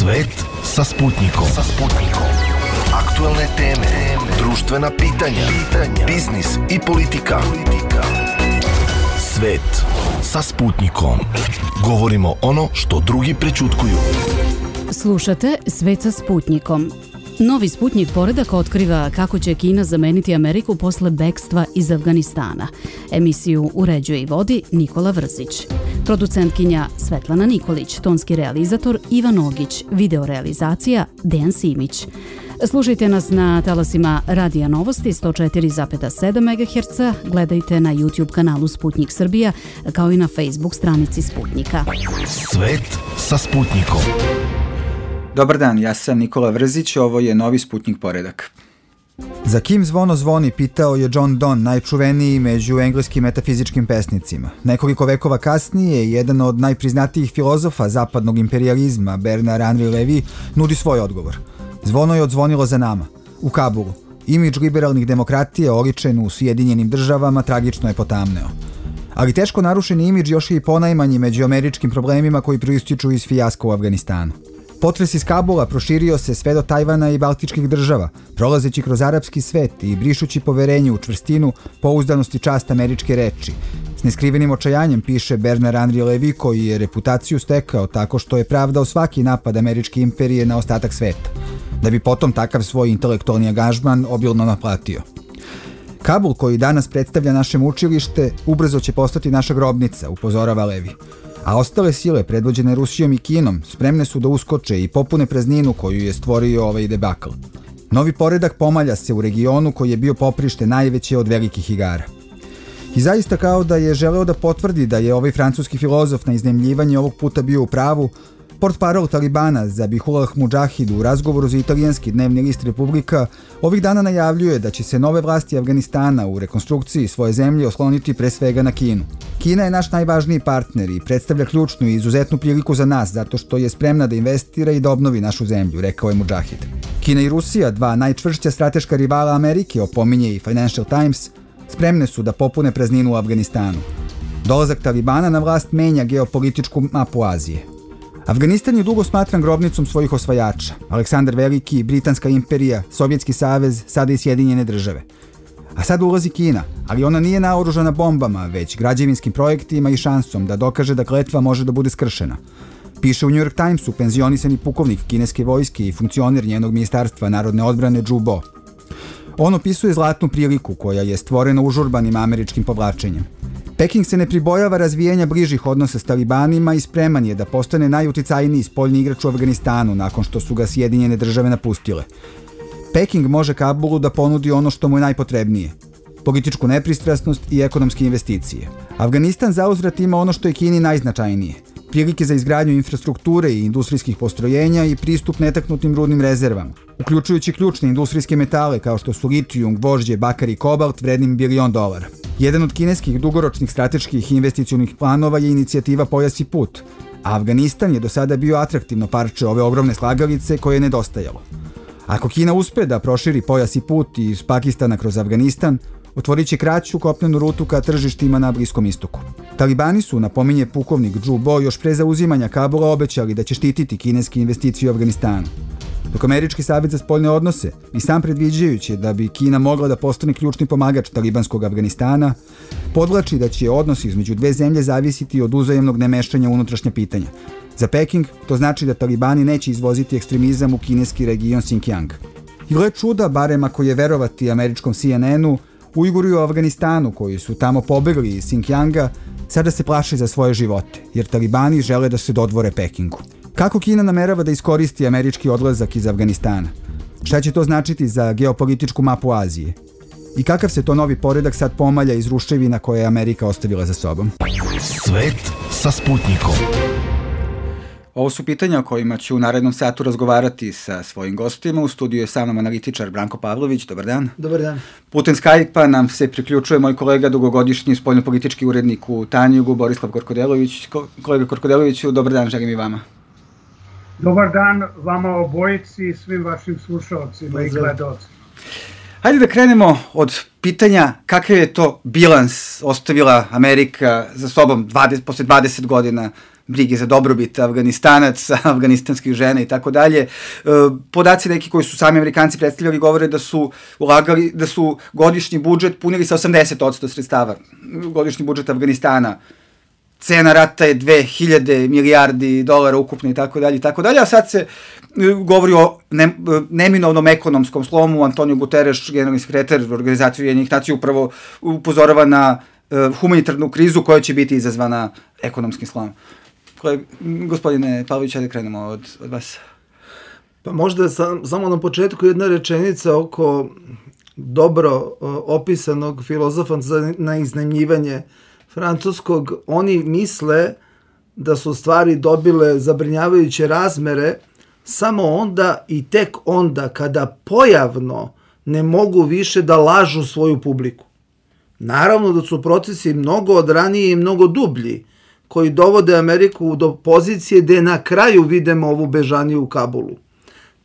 Svet sa Sputnikom. Aktuelne teme, društvena pitanja, biznis i politika. Svet sa Sputnikom. Govorimo ono što drugi prećutkuju. Slušate Svet sa Sputnikom. Novi Sputnik poredak otkriva kako će Kina zameniti Ameriku posle bekstva iz Afganistana. Emisiju uređuje i vodi Nikola Vrzić. Producentkinja Svetlana Nikolić, tonski realizator Ivan Ogić, videorealizacija Dejan Simić. Slušajte nas na talasima Radija Novosti 104,7 MHz, gledajte na YouTube kanalu Sputnik Srbija, kao i na Facebook stranici Sputnika. Svet sa Sputnikom. Dobar dan, ja sam Nikola Vrzić, ovo je Novi Sputnik poredak. Za kim zvono zvoni, pitao je John Donne, najčuveniji među engleskim metafizičkim pesnicima. Nekoliko vekova kasnije, jedan od najpriznatijih filozofa zapadnog imperijalizma, Bernard Henri Levy, nudi svoj odgovor. Zvono je odzvonilo za nama, u Kabulu. Imidž liberalnih demokratija oličen u Sjedinjenim državama tragično je potamneo. Ali teško narušeni imidž još je i ponajmanji među američkim problemima koji proističu iz fijaska u Afganistanu. Potres iz Kabula proširio se sve do Tajvana i Baltičkih država, prolazeći kroz arapski svet i brišući poverenje u čvrstinu, pouzdanost i čast američke reči. S neskrivenim očajanjem piše Bernard Henri Levy, koji je reputaciju stekao tako što je pravdao svaki napad američke imperije na ostatak sveta, da bi potom takav svoj intelektualni angažman obilno naplatio. Kabul, koji danas predstavlja naše mučilište, ubrzo će postati naša grobnica, upozorava Levy. A ostale sile, predvođene Rusijom i Kinom, spremne su da uskoče i popune prazninu koju je stvorio ovaj debakl. Novi poredak pomalja se u regionu koji je bio poprište najveće od velikih igara. I zaista kao da je želeo da potvrdi da je ovaj francuski filozof na iznajmljivanje ovog puta bio u pravu, portparol Talibana Zabihullah Mudžahid u razgovoru za italijanski dnevni list Republika ovih dana najavljuje da će se nove vlasti Afganistana u rekonstrukciji svoje zemlje osloniti pre svega na Kinu. Kina je naš najvažniji partner i predstavlja ključnu i izuzetnu priliku za nas zato što je spremna da investira i da obnovi našu zemlju, rekao je Mudžahid. Kina i Rusija, dva najčvršća strateška rivala Amerike, opominje i Financial Times, spremne su da popune prazninu u Afganistanu. Dolazak Talibana na vlast menja geopolitičku mapu Azije. Afganistan je dugo smatran grobnicom svojih osvajača. Aleksandar Veliki, Britanska imperija, Sovjetski savez, sada i Sjedinjene države. A sad ulazi Kina, ali ona nije naoružana bombama, već građevinskim projektima i šansom da dokaže da kletva može da bude skršena. Piše u New York Timesu penzionisani pukovnik kineske vojske i funkcioner njenog ministarstva narodne odbrane Zhu Bo. On opisuje zlatnu priliku koja je stvorena užurbanim američkim povlačenjem. Peking se ne pribojava razvijenja bližih odnosa s Talibanima i spreman je da postane najuticajniji spoljni igrač u Afganistanu nakon što su ga Sjedinjene države napustile. Peking može Kabulu da ponudi ono što mu je najpotrebnije: političku nepristrasnost i ekonomske investicije. Afganistan zauzvrat ima ono što je Kini najznačajnije: prilike za izgradnju infrastrukture i industrijskih postrojenja i pristup netaknutim rudnim rezervama, uključujući ključne industrijske metale kao što su litijum, gvožđe, bakar i kobalt vrednim $1 bilion. Jedan od kineskih dugoročnih strateških investicionih planova je inicijativa Pojas i put, a Afganistan je do sada bio atraktivno parče ove ogromne slagalice koje je nedostajalo. Ako Kina uspe da proširi Pojas i put iz Pakistana kroz Afganistan, otvorit će kraću kopnenu rutu ka tržištima na Bliskom istoku. Talibani su, napominje pukovnik Zhu Bo, još pre zauzimanja Kabula obećali da će štititi kineske investicije u Afganistanu. Dok Američki savez za spoljne odnose, i sam predviđajući da bi Kina mogla da postane ključni pomagač talibanskog Afganistana, podvlači da će odnosi između dve zemlje zavisiti od uzajamnog nemešanja u unutrašnja pitanja. Za Peking to znači da Talibani neće izvoziti ekstremizam u kineski region Xinjiang. I gle čuda, barem ako je verovati američkom CNN-u, Ujguri u Afganistanu, koji su tamo pobegli iz Xinjianga, sada se plaše za svoje živote, jer Talibani žele da se dodvore Pekingu. Kako Kina namerava da iskoristi američki odlazak iz Afganistana? Šta će to značiti za geopolitičku mapu Azije? I kakav se to novi poredak sad pomalja iz ruševina koje je Amerika ostavila za sobom? Svet sa Sputnikom. Ovo su pitanja o kojima ću u narednom satu razgovarati sa svojim gostima. U studiju je sa mnom analitičar Branko Pavlović. Dobar dan. Dobar dan. Putem Skype-a nam se priključuje moj kolega, dugogodišnji spoljnopolitički urednik u Tanjugu, Borislav Korkodelović. Kolega Korkodeloviću, dobar dan, želim i vama. Dobar dan vama obojici i svim vašim slušalcima i gledalcima. Hajde da krenemo od pitanja kakav je to bilans ostavila Amerika za sobom posle 20 godina brige za dobrobit Afganistanaca, afganistanskih žena i tako dalje. Podaci neki koji su sami Amerikanci predstavljali govore da su ulagali, da su godišnji budžet punili sa 80% sredstava. Godišnji budžet Afganistana. Cena rata je 2000 milijardi dolara ukupno i tako dalje, a sad se govori o neminovnom ekonomskom slomu. Antonio Guterres, generalni sekretar Organizacije Ujedinjenih nacija, upravo upozorava na humanitarnu krizu koja će biti izazvana ekonomskim slomom. Gospodine Pavlović, da krenemo od vas. Pa možda samo na početku jedna rečenica oko dobro opisanog filozofa na iznajmljivanje francuskog. Oni misle da su stvari dobile zabrinjavajuće razmere samo onda i tek onda kada pojavno ne mogu više da lažu svoju publiku. Naravno da su procesi mnogo odraniji i mnogo dublji, koji dovode Ameriku do pozicije gde na kraju vidimo ovu bežaniju u Kabulu.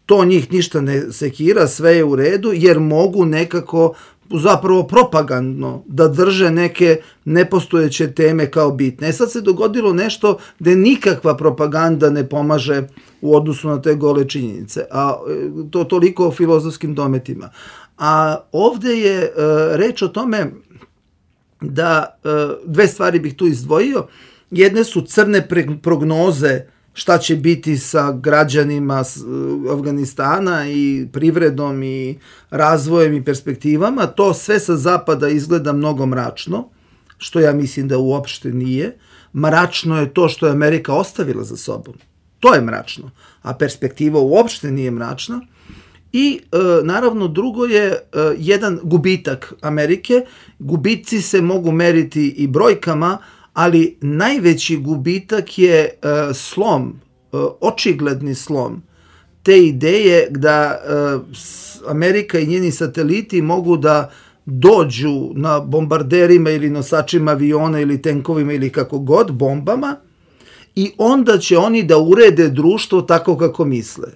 To njih ništa ne sekira, sve je u redu, jer mogu nekako, zapravo propagandno, da drže neke nepostojeće teme kao bitne. Sad se dogodilo nešto gde nikakva propaganda ne pomaže u odnosu na te gole činjenice. A to toliko o filozofskim dometima. A ovde je reč o tome da dve stvari bih tu izdvojio. Jedne su crne prognoze šta će biti sa građanima Afganistana i privredom i razvojem i perspektivama. To sve sa zapada izgleda mnogo mračno, što ja mislim da uopšte nije. Mračno je to što je Amerika ostavila za sobom. To je mračno, a perspektiva uopšte nije mračna. I naravno drugo je jedan gubitak Amerike. Gubici se mogu meriti i brojkama, ali najveći gubitak je slom, očigledni slom te ideje da Amerika i njeni sateliti mogu da dođu na bombarderima ili nosačima aviona ili tenkovima ili kako god, bombama, i onda će oni da urede društvo tako kako misle.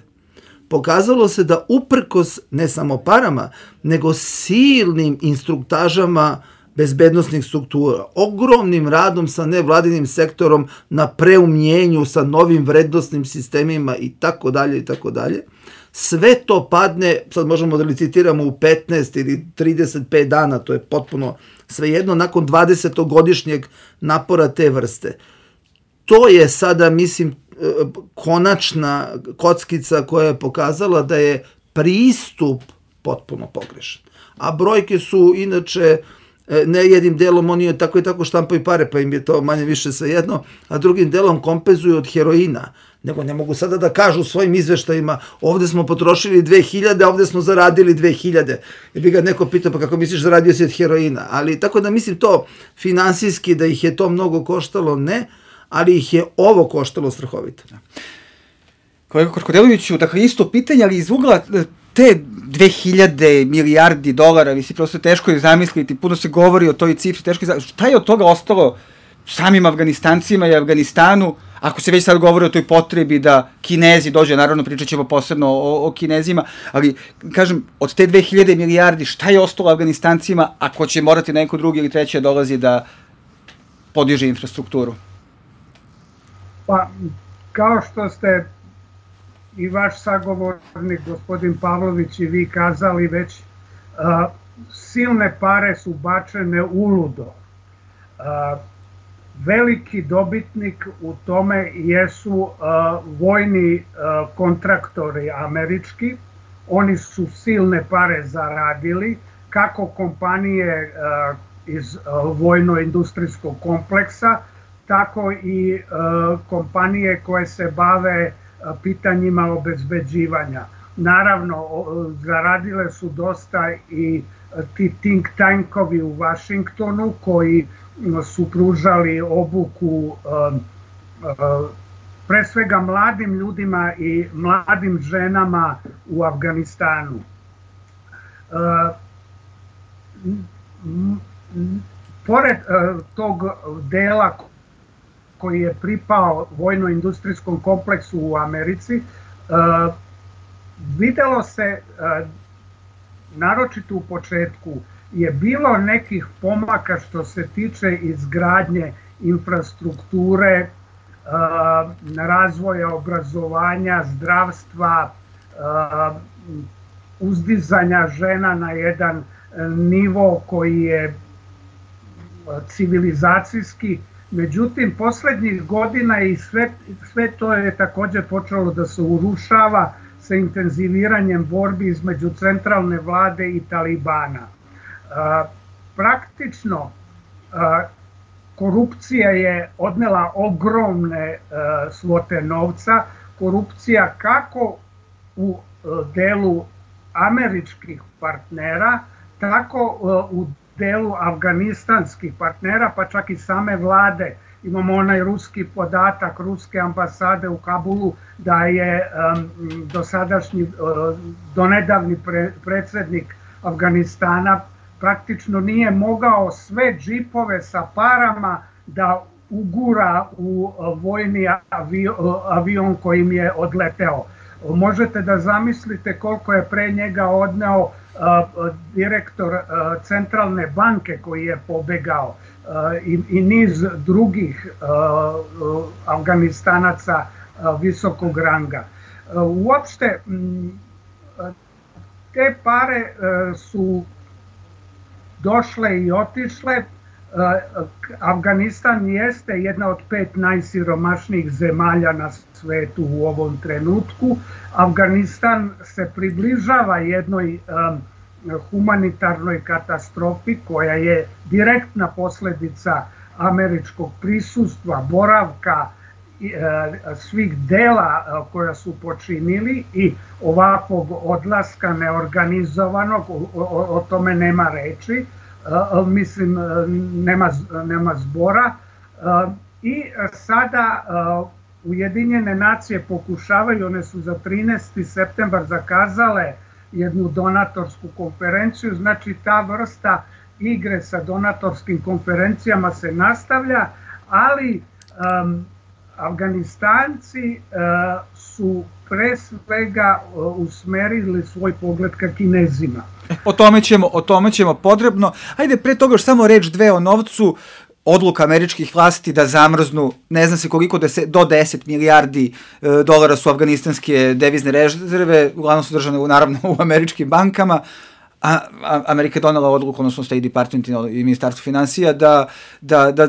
Pokazalo se da uprkos ne samo parama, nego silnim instruktažama bezbednostnih struktura, ogromnim radom sa nevladinim sektorom na preumnjenju, sa novim vrednostnim sistemima i tako dalje, sve to padne, sad možemo da licitiramo u 15 ili 35 dana, to je potpuno svejedno, nakon 20-godišnjeg napora te vrste. To je sada, mislim, konačna kockica koja je pokazala da je pristup potpuno pogrešan. A brojke su inače ne jednim delom oni tako i tako štampaju pare, pa im je to manje više svejedno, a drugim delom kompenzuju od heroina. Nego ne mogu sada da kažu u svojim izveštajima ovde smo potrošili 2000, a ovde smo zaradili 2000. I bi ga neko pitao, pa kako misliš zaradio si od heroina? Ali tako da mislim to finansijski da ih je to mnogo koštalo, ne, ali ih je ovo koštalo strahovito. Kolega Korkodeloviću, dakle isto pitanje, ali iz ugla te 2000 milijardi dolara, mislim, prosto teško je zamisliti, puno se govori o toj cifri, teško je zamisliti. Šta je od toga ostalo samim Afganistancima i Afganistanu, ako se već sad govori o toj potrebi da Kinezi dođe, naravno pričat ćemo posebno o Kinezima, ali, kažem, od te 2000 milijardi, šta je ostalo Afganistancima ako će morati neko drugi ili treći dolazi da podiže infrastrukturu? Pa, kao što ste i vaš sagovornik, gospodin Pavlović, i vi kazali već, silne pare su bačene uludo. Veliki dobitnik u tome jesu vojni kontraktori američki. Oni su silne pare zaradili, kako kompanije iz vojno-industrijskog kompleksa, tako i kompanije koje se bave pitanjima obezbeđivanja. Naravno, zaradile su dosta i ti think tankovi u Vašingtonu koji su pružali obuku pre svega mladim ljudima i mladim ženama u Afganistanu. Pored tog dela koji je pripao vojno-industrijskom kompleksu u Americi, videlo se, naročito u početku, je bilo nekih pomaka što se tiče izgradnje infrastrukture, razvoja obrazovanja, zdravstva, uzdizanja žena na jedan nivo koji je civilizacijski. Međutim, poslednjih godina i sve to je također počelo da se urušava sa intenziviranjem borbi između centralne vlade i Talibana. Praktično, korupcija je odnela ogromne svote novca. Korupcija kako u delu američkih partnera, tako u delu afganistanskih partnera, pa čak i same vlade. Imamo onaj ruski podatak ruske ambasade u Kabulu da je donedavni predsjednik Afganistana praktično nije mogao sve džipove sa parama da ugura u vojni avion kojim je odleteo. Možete da zamislite koliko je pre njega odneo direktor centralne banke koji je pobegao i niz drugih Afganistanaca visokog ranga. Uopšte, te pare su došle i otišle. Afganistan jeste jedna od 5 najsiromašnijih zemalja na svetu u ovom trenutku. Afganistan se približava jednoj humanitarnoj katastrofi koja je direktna posljedica američkog prisustva, boravka, svih dela koja su počinili i ovakvog odlaska neorganizovanog, o tome nema reči. Mislim, nema zbora. I sada Ujedinjene nacije pokušavaju, one su za 13. septembar zakazale jednu donatorsku konferenciju, znači ta vrsta igre sa donatorskim konferencijama se nastavlja, ali Afganistanci su pre svega usmerili svoj pogled ka Kinezima. O tome ćemo podrobno. Ajde, pre toga još samo reč dve o novcu. Odluka američkih vlasti da zamrznu, ne znam se koliko, do 10 milijardi dolara su afganistanske devizne rezerve, uglavnom su držane naravno u američkim bankama, a Amerika je donela odluku, odnosno State Department i Ministarstvo finansija,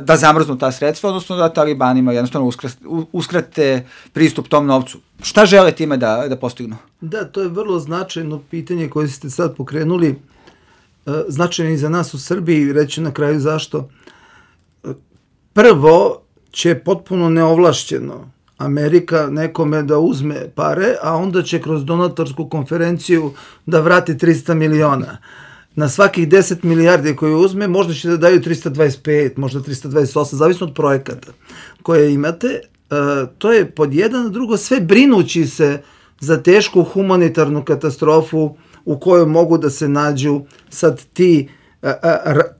da zamrznu ta sredstva, odnosno da Talibanima jednostavno uskrate pristup tom novcu. Šta žele time da postignu? Da, to je vrlo značajno pitanje koje ste sad pokrenuli. Značajno i za nas u Srbiji, reći na kraju zašto. Prvo će potpuno neovlašćeno Amerika nekome da uzme pare, a onda će kroz donatorsku konferenciju da vrati 300 miliona. Na svakih 10 milijardi koje uzme, možda će da daju 325, možda 328, zavisno od projekata koje imate. To je pod jedan, drugo, sve brinući se za tešku humanitarnu katastrofu u kojoj mogu da se nađu sad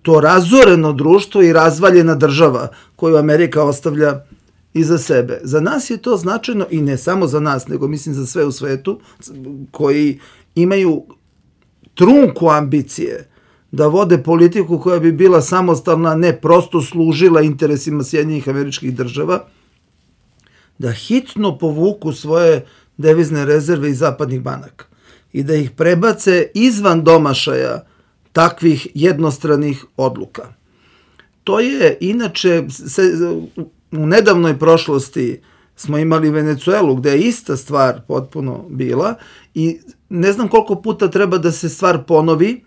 to razoreno društvo i razvaljena država koju Amerika ostavlja iza sebe. Za nas je to značajno i ne samo za nas, nego mislim za sve u svetu koji imaju trunku ambicije da vode politiku koja bi bila samostalna, ne prosto služila interesima Sjedinjenih Američkih Država, da hitno povuku svoje devizne rezerve iz zapadnih banaka i da ih prebace izvan domašaja takvih jednostranih odluka. To je, inače, u nedavnoj prošlosti smo imali Venecuelu gde je ista stvar potpuno bila i ne znam koliko puta treba da se stvar ponovi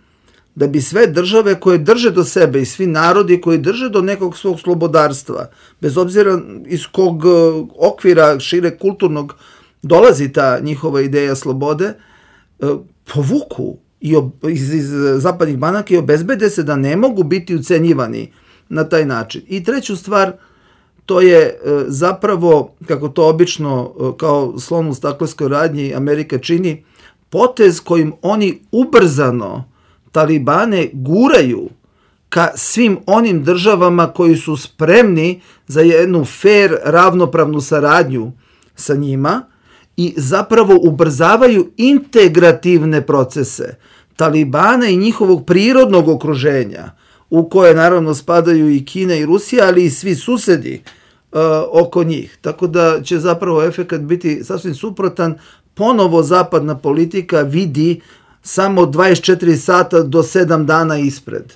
da bi sve države koje drže do sebe i svi narodi koji drže do nekog svog slobodarstva, bez obzira iz kog okvira šire kulturnog dolazi ta njihova ideja slobode, povuku iz zapadnih banaka i obezbede se da ne mogu biti ucenjivani na taj način. I treću stvar, to je zapravo, kako to obično kao slon u staklenskoj radnji Amerika čini, potez kojim oni ubrzano Talibane guraju ka svim onim državama koji su spremni za jednu fair, ravnopravnu saradnju sa njima i zapravo ubrzavaju integrativne procese. Talibana i njihovog prirodnog okruženja, u koje naravno spadaju i Kina i Rusija, ali i svi susedi oko njih. Tako da će zapravo efekat biti sasvim suprotan. Ponovo zapadna politika vidi samo 24 sata do 7 dana ispred.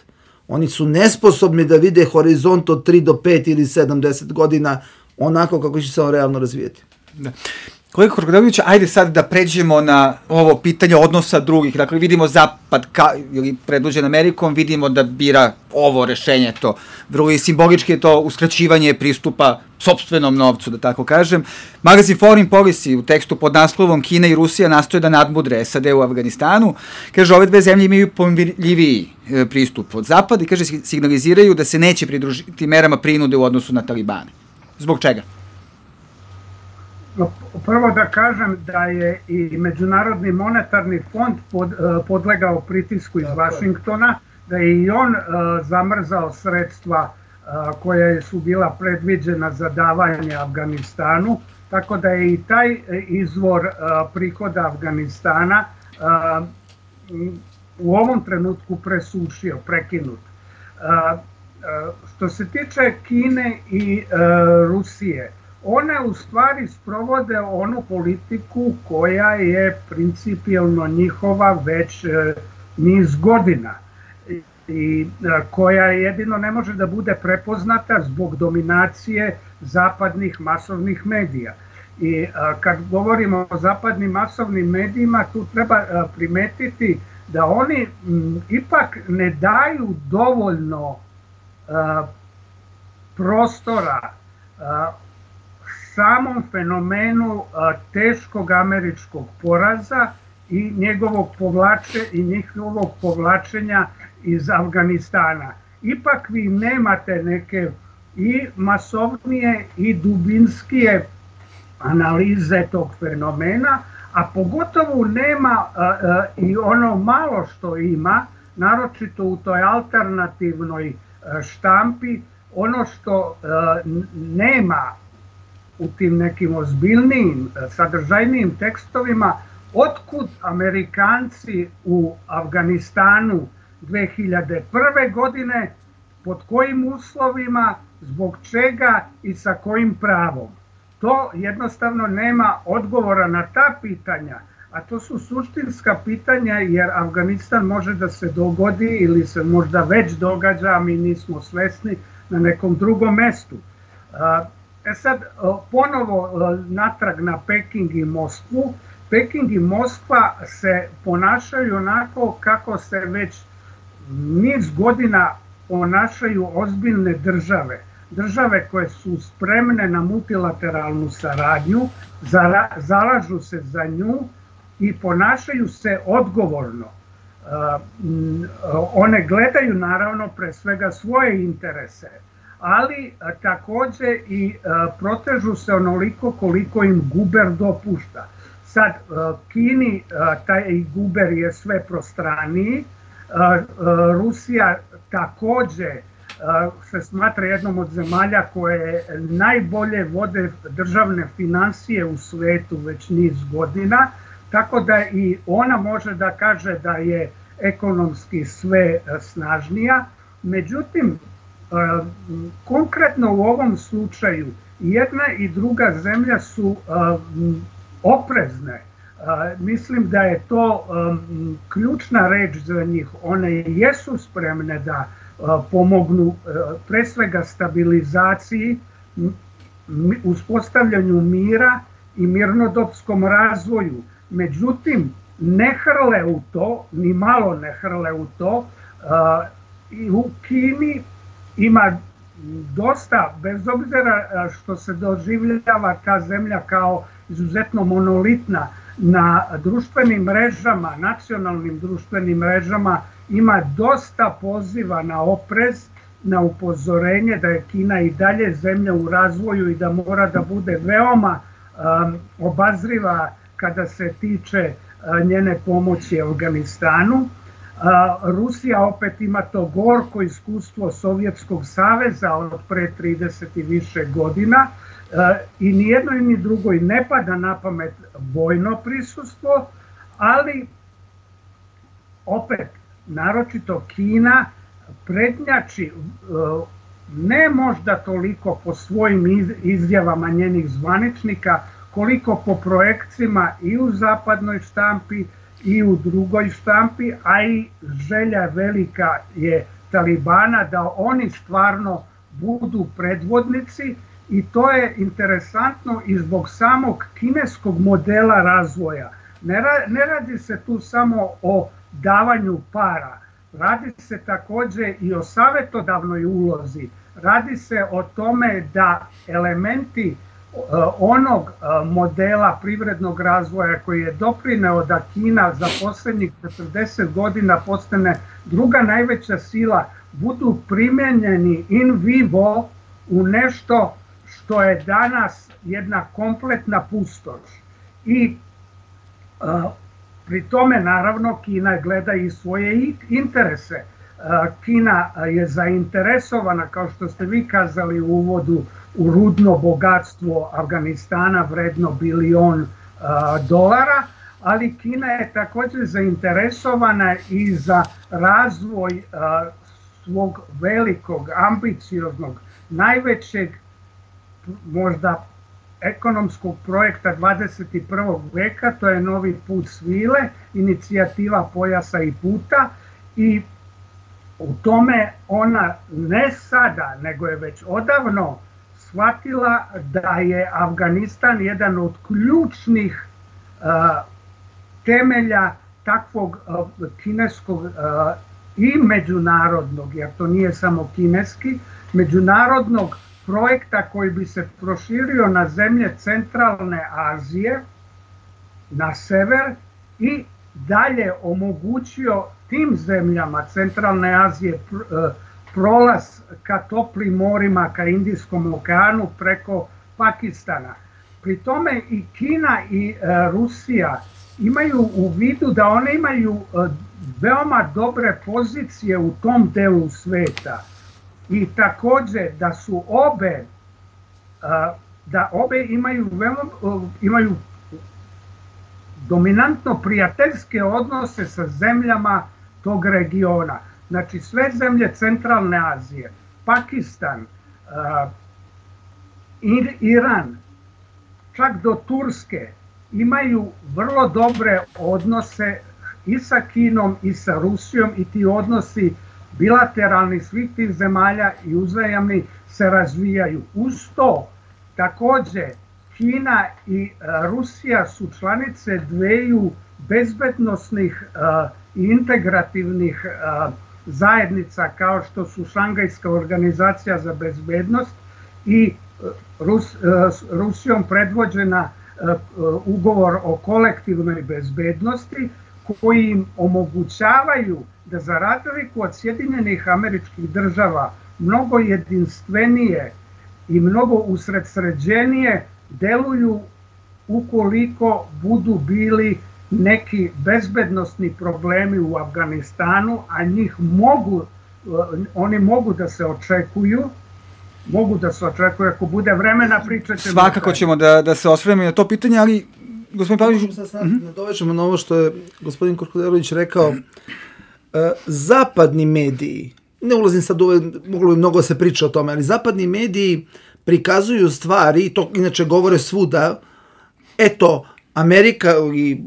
Oni su nesposobni da vide horizont od 3 do 5 ili 7-10 godina onako kako će se on realno razvijeti. Da. Kolega Krkodelović, ajde sad da pređemo na ovo pitanje odnosa drugih. Dakle, vidimo Zapad ili predvođen Amerikom, vidimo da bira ovo rešenje, to vrlo i simbolički je to uskraćivanje pristupa sopstvenom novcu, da tako kažem. Magazin Foreign Policy u tekstu pod naslovom Kina i Rusija nastoje da nadmudre SAD u Afganistanu. Kaže, ove dve zemlje imaju pomirljiviji pristup od Zapada i kaže, signaliziraju da se neće pridružiti merama prinude u odnosu na Talibane. Zbog čega? Prvo da kažem da je i Međunarodni monetarni fond podlegao pritisku iz Vašingtona, da je i on zamrzao sredstva koja su bila predviđena za davanje Afganistanu, tako da je i taj izvor prihoda Afganistana u ovom trenutku presušio, prekinut. Što se tiče Kine i Rusije, one u stvari sprovode onu politiku koja je principijelno njihova već niz godina i koja jedino ne može da bude prepoznata zbog dominacije zapadnih masovnih medija. I kad govorimo o zapadnim masovnim medijima, tu treba primetiti da oni ipak ne daju dovoljno prostora samom fenomenu teškog američkog poraza i njihovog povlačenja iz Afganistana. Ipak vi nemate neke i masovnije i dubinskije analize tog fenomena, a pogotovo nema i ono malo što ima, naročito u toj alternativnoj štampi, ono što nema u tim nekim ozbiljnijim, sadržajnijim tekstovima, otkud Amerikanci u Afganistanu 2001. godine, pod kojim uslovima, zbog čega i sa kojim pravom. To jednostavno nema odgovora na ta pitanja, a to su suštinska pitanja jer Afganistan može da se dogodi ili se možda već događa, a mi nismo svesni, na nekom drugom mestu. Sad, ponovo natrag na Peking i Moskvu. Peking i Moskva se ponašaju onako kako se već niz godina ponašaju ozbiljne države. Države koje su spremne na multilateralnu saradnju, zalažu se za nju i ponašaju se odgovorno. One gledaju naravno pre svega svoje interese, ali takođe i protežu se onoliko koliko im guber dopušta. Sad, Kini taj guber je sve prostraniji, Rusija takođe se smatra jednom od zemalja koje najbolje vode državne finansije u svetu već niz godina, tako da i ona može da kaže da je ekonomski sve snažnija. Međutim, konkretno u ovom slučaju jedna i druga zemlja su oprezne. Mislim da je to ključna reč za njih. One jesu spremne da pomognu pre svega stabilizaciji, uspostavljanju mira i mirnodopskom razvoju. Međutim, ne hrle u to, ni malo ne hrle u to. I u Kini ima dosta, bez obzira što se doživljava ta zemlja kao izuzetno monolitna, na društvenim mrežama, nacionalnim društvenim mrežama ima dosta poziva na oprez, na upozorenje da je Kina i dalje zemlja u razvoju i da mora da bude veoma obazriva kada se tiče njene pomoći Afganistanu. Rusija opet ima to gorko iskustvo Sovjetskog saveza od pre 30 i više godina i nijednoj ni drugoj ne pada na pamet vojno prisustvo, ali opet, naročito Kina, prednjači ne možda toliko po svojim izjavama njenih zvaničnika, koliko po projekcijama i u zapadnoj štampi i u drugoj štampi, a i želja velika je Talibana da oni stvarno budu predvodnici, i to je interesantno i zbog samog kineskog modela razvoja. Ne radi se tu samo o davanju para, radi se takođe i o savetodavnoj ulozi, radi se o tome da elementi onog modela privrednog razvoja koji je doprineo da Kina za poslednjih 40 godina postane druga najveća sila, budu primenjeni in vivo u nešto što je danas jedna kompletna pustoš. I pri tome, naravno, Kina gleda i svoje interese. Kina je zainteresovana, kao što ste vi kazali u uvodu, u rudno bogatstvo Afganistana vredno $1 bilion, ali Kina je takođe zainteresovana i za razvoj svog velikog, ambicioznog, najvećeg, možda ekonomskog projekta 21. veka, to je Novi put svile, inicijativa pojasa i puta, i u tome ona ne sada, nego je već odavno shvatila da je Afganistan jedan od ključnih temelja takvog kineskog i međunarodnog, jer to nije samo kineski, međunarodnog projekta koji bi se proširio na zemlje centralne Azije, na sever, i dalje omogućio tim zemljama centralne Azije prolaz ka toplim morima, ka Indijskom okeanu preko Pakistana. Pri tome i Kina i Rusija imaju u vidu da one imaju veoma dobre pozicije u tom delu sveta i takođe da su obe imaju dominantno prijateljske odnose sa zemljama tog regiona. Znači sve zemlje centralne Azije, Pakistan, Iran, čak do Turske, imaju vrlo dobre odnose i sa Kinom i sa Rusijom, i ti odnosi bilateralni svih tih zemalja i uzajamni se razvijaju. Uz to, takođe, Kina i Rusija su članice dveju bezbednosnih i integrativnih zajednica kao što su Šangajska organizacija za bezbednost i Rusijom predvođena ugovor o kolektivnoj bezbednosti, koji im omogućavaju da za razliku od Sjedinjenih Američkih Država mnogo jedinstvenije i mnogo usredsređenije deluju ukoliko budu bili neki bezbednosni problemi u Afganistanu, a oni mogu da se očekuju, ako bude vremena pričat ćemo. Svakako ćemo da se osvrnemo na to pitanje, ali gospodin Pavlić... Nadovećemo na ovo što je gospodin Korkuderović rekao. Zapadni mediji, ne ulazim sad u moglo bi mnogo se priča o tome, ali zapadni mediji prikazuju stvari, i to inače govore svuda, eto, Amerika i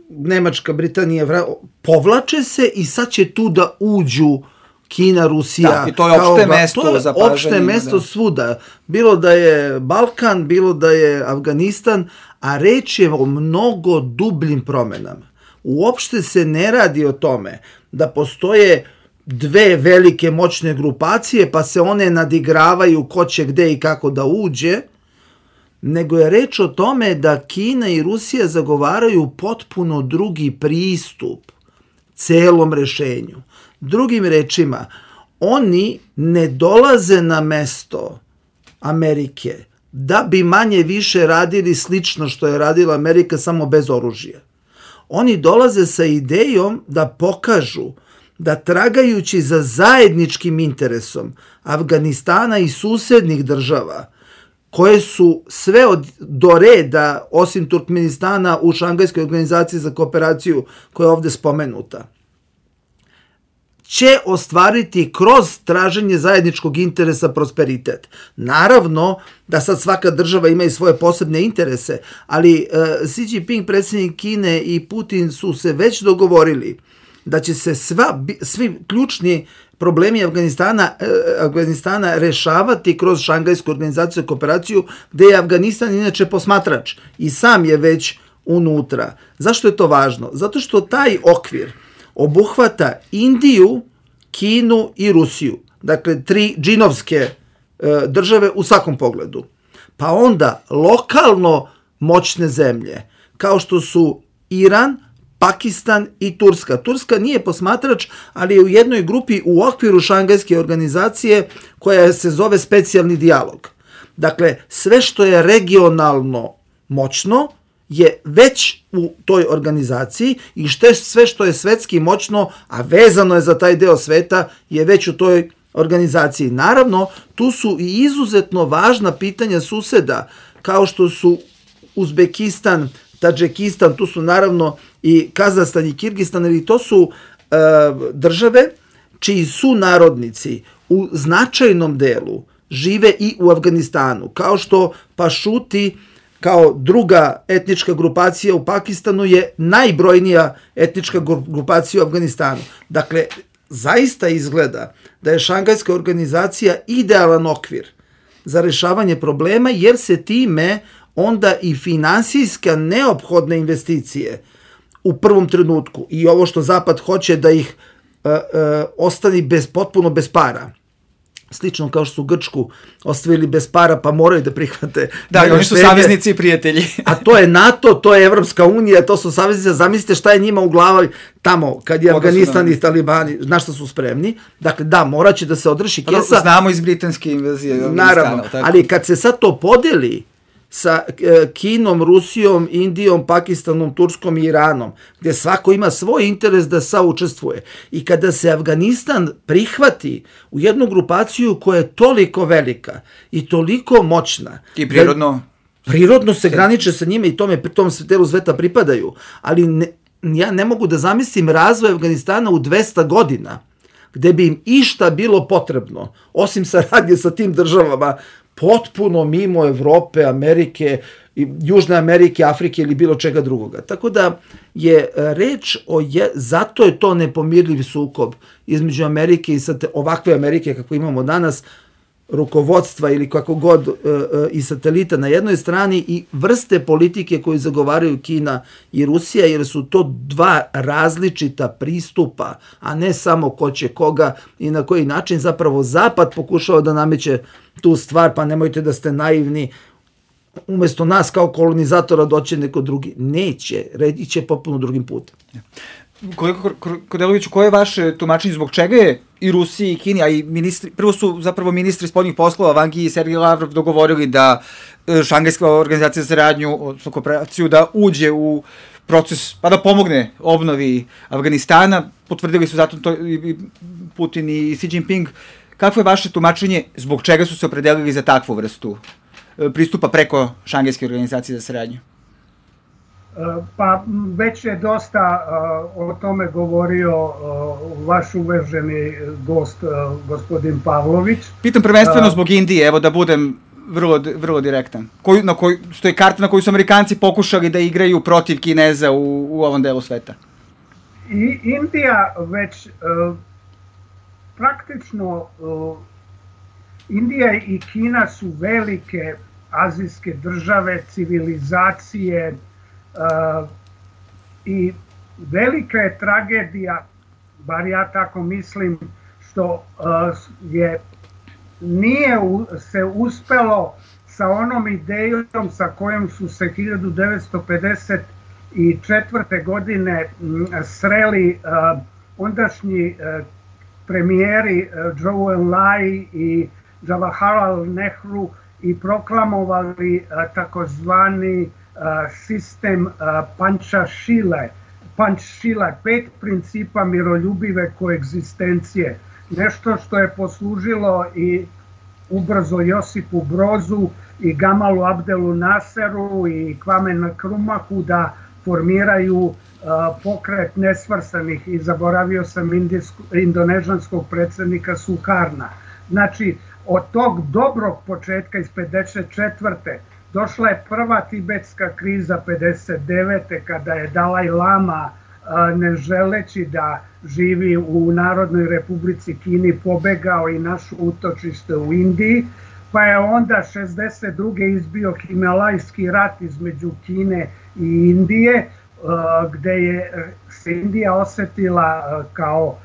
Nemačka, Britanija povlače se i sad će tu da uđu Kina, Rusija. Da, i to je opšte mesto za pažnje. Opšte mesto svuda. Bilo da je Balkan, bilo da je Afganistan, a reč je o mnogo dubljim promenama. Uopšte se ne radi o tome da postoje dve velike moćne grupacije, pa se one nadigravaju ko će gde i kako da uđe, nego je reč o tome da Kina i Rusija zagovaraju potpuno drugi pristup celom rešenju. Drugim rečima, oni ne dolaze na mesto Amerike da bi manje više radili slično što je radila Amerika, samo bez oružja. Oni dolaze sa idejom da pokažu da tragajući za zajedničkim interesom Afganistana i susednih država, koje su sve do reda, osim Turkmenistana, u Šangajskoj organizaciji za kooperaciju koja je ovde spomenuta, će ostvariti kroz traženje zajedničkog interesa prosperitet. Naravno da sad svaka država ima i svoje posebne interese, ali Xi Jinping, predsjednik Kine, i Putin su se već dogovorili da će se svi ključni problemi Afganistana rešavati kroz Šangajsku organizaciju kooperaciju, gde je Afganistan inače posmatrač i sam je već unutra. Zašto je to važno? Zato što taj okvir obuhvata Indiju, Kinu i Rusiju. Dakle, 3 džinovske države u svakom pogledu. Pa onda lokalno moćne zemlje, kao što su Iran, Pakistan i Turska. Turska nije posmatrač, ali je u jednoj grupi u okviru Šangajske organizacije koja se zove specijalni dijalog. Dakle, sve što je regionalno moćno je već u toj organizaciji i sve što je svetski moćno, a vezano je za taj deo sveta, je već u toj organizaciji. Naravno, tu su i izuzetno važna pitanja suseda, kao što su Uzbekistan, Tadžikistan, tu su naravno i Kazahstan i Kirgistan, ili to su države čiji su narodnici u značajnom delu žive i u Afganistanu, kao što Pašuti kao druga etnička grupacija u Pakistanu je najbrojnija etnička grupacija u Afganistanu. Dakle, zaista izgleda da je Šangajska organizacija idealan okvir za rešavanje problema, jer se time onda i finansijska neophodne investicije u prvom trenutku i ovo što Zapad hoće da ih ostani potpuno bez para. Slično kao što su Grčku ostavili bez para, pa moraju da prihvate. Da, i oni su saveznici i prijatelji. A to je NATO, to je Evropska unija, to su saveznici. Zamislite šta je njima u glavi tamo, kad je Afganistan i Talibani, na što su spremni. Dakle, da, morat će da se održi kesa. Znamo iz britanske invazije. Naravno, ali kad se sad to podeli sa Kinom, Rusijom, Indijom, Pakistanom, Turskom i Iranom, gdje svako ima svoj interes da saučestvuje. I kada se Afganistan prihvati u jednu grupaciju koja je toliko velika i toliko moćna. I prirodno se graniče sa njima i tom delu sveta pripadaju. Ali ja ne mogu da zamislim razvoj Afganistana u 200 godina, gde bi im išta bilo potrebno, osim saradnje sa tim državama, potpuno mimo Evrope, Amerike, Južne Amerike, Afrike ili bilo čega drugoga. Tako da je reč zato je to nepomirljiv sukob između Amerike i ovakve Amerike kako imamo danas, rukovodstva ili kako god i satelita na jednoj strani i vrste politike koju zagovaraju Kina i Rusija, jer su to dva različita pristupa, a ne samo ko će koga i na koji način. Zapravo Zapad pokušava da nameće tu stvar, pa nemojte da ste naivni, umesto nas kao kolonizatora doće neko drugi. Neće, iće potpuno drugim putem. Kolega Kordeloviću, koje je vaše tumačenje, zbog čega je i Rusiji i Kini, a i prvo su zapravo ministri spoljnih poslova, Wang Yi i Sergej Lavrov, dogovorili da Šangajska organizacija za saradnju, odnosno kooperaciju, da uđe u proces, pa da pomogne obnovi Afganistana, potvrdili su zato to i Putin i Xi Jinping. Kako je vaše tumačenje, zbog čega su se opredelili za takvu vrstu pristupa preko Šangajske organizacije za saradnju? Pa već je dosta o tome govorio vaš uvaženi gost, gospodin Pavlović. Pitam prvenstveno zbog Indije, evo da budem vrlo direktan. Što je karta na koju su Amerikanci pokušali da igraju protiv Kineza u ovom delu sveta? I Indija već praktično, Indija i Kina su velike azijske države, civilizacije, i velika je tragedija, bar ja tako mislim, što nije se uspelo sa onom idejom sa kojom su se 1954. godine sreli ondašnji premijeri Zhou Enlai i Jawaharlal Nehru i proklamovali takozvani sistem Pančšile, 5 principa miroljubive koegzistencije. Nešto što je poslužilo i ubrzo Josipu Brozu i Gamalu Abdelu Naseru i Kvame Nkrumahu da formiraju pokret nesvrstanih i zaboravio sam indonežanskog predsjednika Sukarna. Znači, od tog dobrog početka iz 54. došla je prva tibetska kriza 59. kada je Dalaj Lama, ne želeći da živi u Narodnoj Republici Kini, pobegao i našo utočište u Indiji, pa je onda 62. izbio Himalajski rat između Kine i Indije, gde je se Indija osetila kao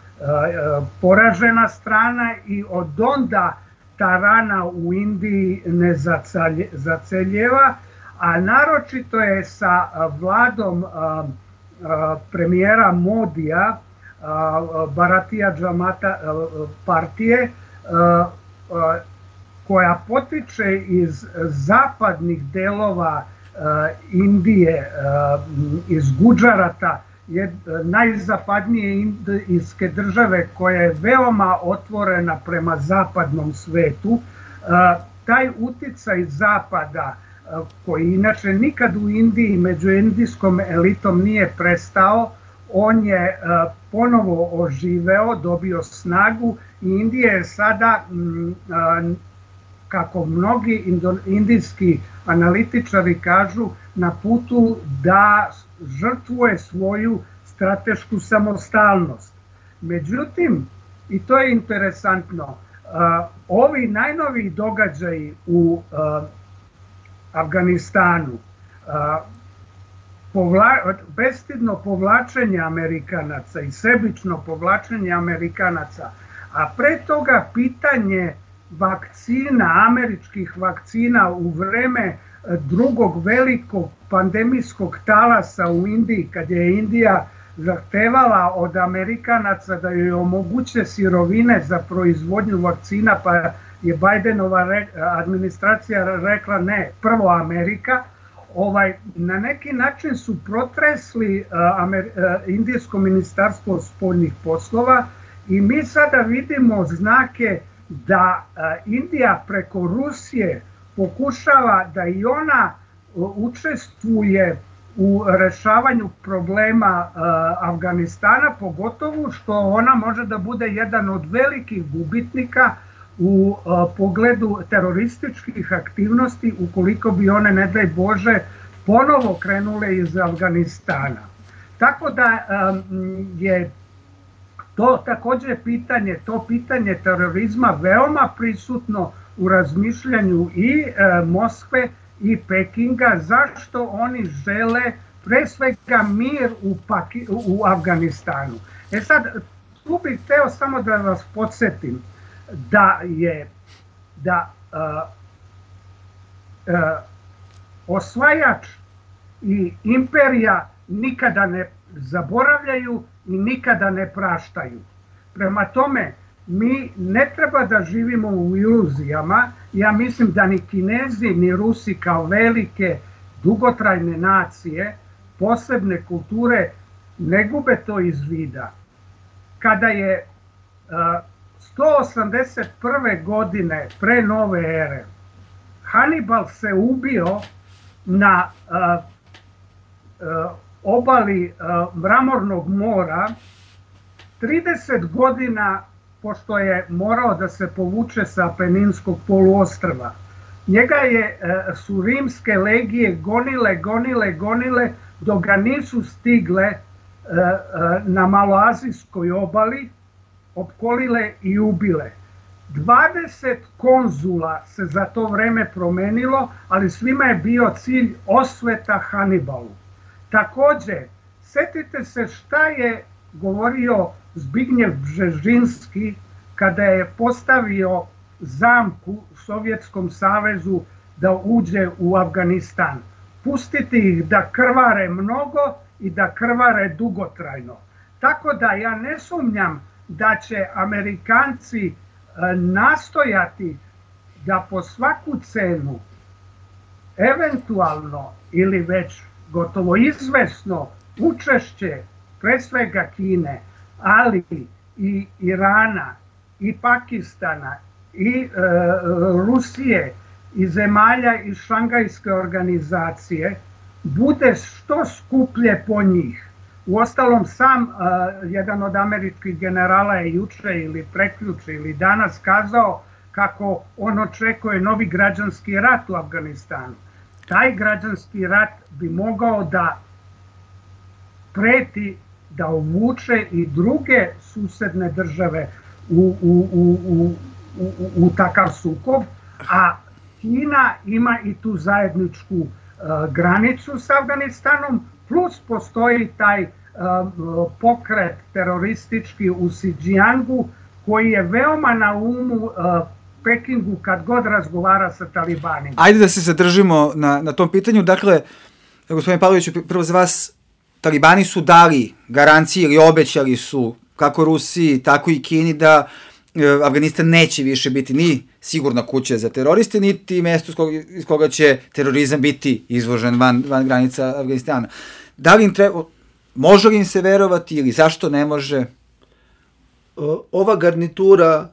poražena strana i od onda ta rana u Indiji ne zaceljeva, a naročito je sa vladom premijera Modija, Bharatiya Janata partije, koja potiče iz zapadnih delova Indije, iz Gudžarata, najzapadnije indijske države koja je veoma otvorena prema zapadnom svetu. Taj uticaj zapada, koji inače nikad u Indiji među indijskom elitom nije prestao, on je ponovo oživeo, dobio snagu i Indija je sada, kako mnogi indijski analitičari kažu, na putu da žrtvuje svoju stratešku samostalnost. Međutim, i to je interesantno, ovi najnoviji događaji u Afganistanu, bestidno povlačenje Amerikanaca i sebično povlačenje Amerikanaca, a pre toga pitanje vakcina, američkih vakcina u vreme drugog velikog pandemijskog talasa u Indiji, kad je Indija zahtevala od Amerikanaca da joj omoguće sirovine za proizvodnju vakcina, pa je Bidenova administracija rekla ne, prvo Amerika. Na neki način su protresli Indijsko ministarstvo spoljnih poslova i mi sada vidimo znake da Indija preko Rusije pokušava da i ona učestvuje u rešavanju problema Afganistana, pogotovo što ona može da bude jedan od velikih gubitnika u pogledu terorističkih aktivnosti ukoliko bi one, ne daj Bože, ponovo krenule iz Afganistana. Tako da je to takođe pitanje terorizma veoma prisutno u razmišljanju i Moskve i Pekinga, zašto oni žele pre svega mir u Afganistanu. Sad, tu bih hteo samo da vas podsjetim da osvajač i imperija nikada ne zaboravljaju i nikada ne praštaju. Prema tome, mi ne treba da živimo u iluzijama. Ja mislim da ni Kinezi ni Rusi kao velike dugotrajne nacije, posebne kulture, ne gube to iz vida. Kada je 181. godine pre nove ere Hannibal se ubio na obali Mramornog mora, 30 godina pošto je morao da se povuče sa Apeninskog poluostrva. Njega su rimske legije gonile, dok ga nisu stigle na Maloazijskoj obali, opkolile i ubile. 20 konzula se za to vreme promenilo, ali svima je bio cilj osveta Hannibalu. Takođe, setite se šta je govorio Zbignjev Bžežinski kada je postavio zamku Sovjetskom savezu da uđe u Afganistan. Pustiti ih da krvare mnogo i da krvare dugotrajno. Tako da ja ne sumnjam da će Amerikanci nastojati da po svaku cenu eventualno ili već gotovo izvesno učešće pre svega Kine, ali i Irana, i Pakistana, i Rusije, i zemalja iz Šangajske organizacije bude što skuplje po njih. Uostalom, sam jedan od američkih generala je juče ili prekjuče ili danas kazao kako on očekuje novi građanski rat u Afganistanu. Taj građanski rat bi mogao da preti, da uvuče i druge susedne države u takav sukob, a Kina ima i tu zajedničku granicu s Afganistanom, plus postoji taj pokret teroristički u Xinjiangu koji je veoma na umu Pekingu kad god razgovara sa talibanima. Ajde da se zadržimo na tom pitanju. Dakle, gospodine Pavloviću, prvo za vas, talibani su dali garancije ili obećali su kako Rusiji, tako i Kini da Afganistan neće više biti ni sigurna kuća za teroriste, niti mesto iz koga će terorizam biti izložen van granica Afganistana. Da li im može li im se verovati ili zašto ne može? Ova garnitura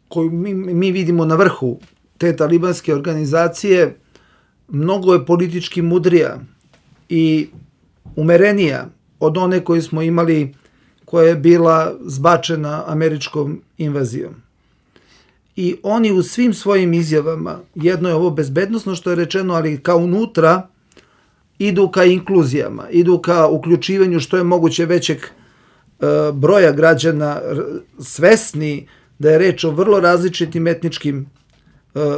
koju mi vidimo na vrhu te talibanske organizacije mnogo je politički mudrija i umerenija od one koju smo imali, koja je bila zbačena američkom invazijom. I oni u svim svojim izjavama, jedno je ovo bezbednosno što je rečeno, ali kao unutra, idu ka inkluzijama, idu ka uključivanju što je moguće većeg broja građana, svesni da je reč o vrlo različitim etničkim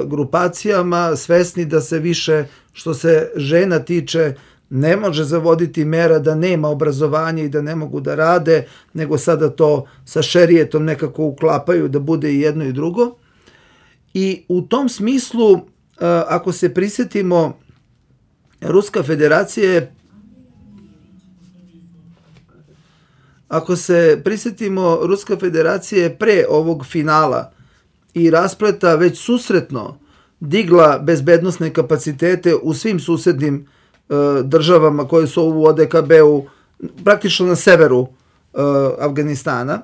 grupacijama, svesni da se više, što se žena tiče, ne može zavoditi mera da nema obrazovanja i da ne mogu da rade, nego sada to sa šerijetom nekako uklapaju da bude i jedno i drugo. I u tom smislu, ako se prisjetimo, Ruska federacija je pre ovog finala i raspleta već susretno digla bezbednosne kapacitete u svim susednim državama koje su u ODKB-u, praktično na severu Afganistana.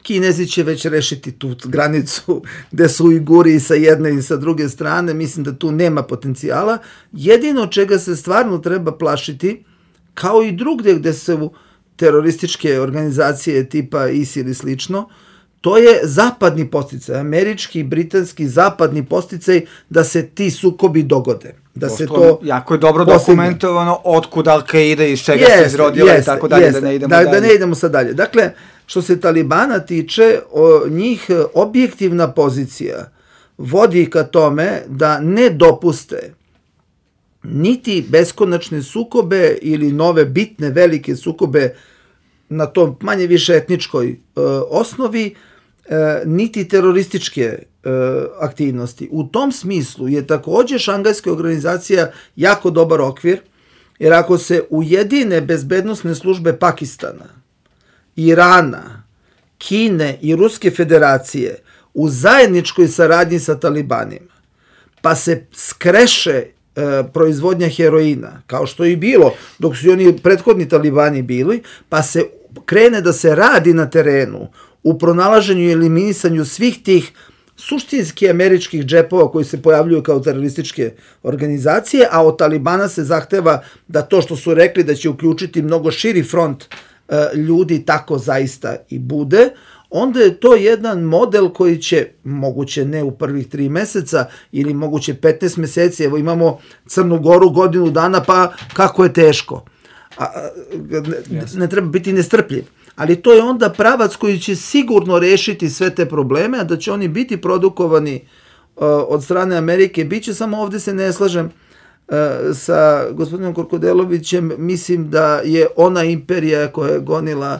Kinezi će već rešiti tu granicu gde su Ujguri i sa jedne i sa druge strane, mislim da tu nema potencijala. Jedino čega se stvarno treba plašiti, kao i drugdje gde su terorističke organizacije tipa ISIL i slično, to je zapadni podsticaj, američki, britanski, zapadni podsticaj da se ti sukobi dogode. Da se to jako je dobro dokumentovano otkud Al-Qaida i iz čega se izrodila i tako dalje, da ne idemo dalje. Da ne idemo sad dalje. Dakle, što se Talibana tiče, njih objektivna pozicija vodi ka tome da ne dopuste niti beskonačne sukobe ili nove bitne velike sukobe na tom manje više etničkoj osnovi, niti terorističke aktivnosti. U tom smislu je takođe Šangajska organizacija jako dobar okvir, jer ako se ujedine bezbednosne službe Pakistana, Irana, Kine i Ruske federacije u zajedničkoj saradnji sa talibanima, pa se skreše proizvodnja heroina, kao što je i bilo dok su oni prethodni talibani bili, pa se krene da se radi na terenu u pronalaženju i eliminisanju svih tih suštinski američkih džepova koji se pojavljuju kao terorističke organizacije, a od Talibana se zahteva da to što su rekli da će uključiti mnogo širi front ljudi tako zaista i bude, onda je to jedan model koji će, moguće ne u prvih 3 meseca ili moguće 15 meseci, evo imamo Crnu Goru godinu dana, pa kako je teško. Ne treba biti nestrpljiv. Ali to je onda pravac koji će sigurno rešiti sve te probleme, a da će oni biti produkovani od strane Amerike. Biće, samo ovde se ne slažem sa gospodinom Korkodelovićem, mislim da je ona imperija koja je gonila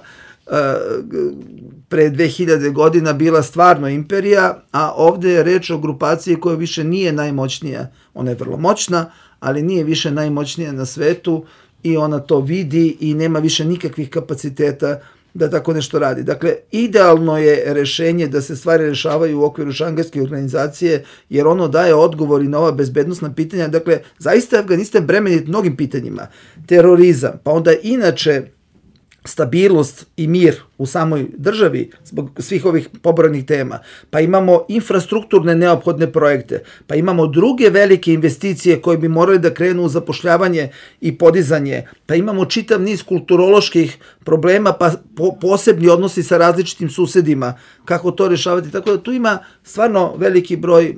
pre 2000 godina bila stvarno imperija, a ovde je reč o grupaciji koja više nije najmoćnija. Ona je vrlo moćna, ali nije više najmoćnija na svetu i ona to vidi i nema više nikakvih kapaciteta da tako nešto radi. Dakle, idealno je rešenje da se stvari rešavaju u okviru Šangajske organizacije, jer ono daje odgovor i na ova bezbednosna pitanja. Dakle, zaista je Afganistan bremenit mnogim pitanjima. Terorizam, pa onda inače stabilnost i mir u samoj državi zbog svih ovih pobrojenih tema, pa imamo infrastrukturne neophodne projekte, pa imamo druge velike investicije koje bi morali da krenu u zapošljavanje i podizanje, pa imamo čitav niz kulturoloških problema, pa posebni odnosi sa različitim susedima, kako to rešavati, tako da tu ima stvarno veliki broj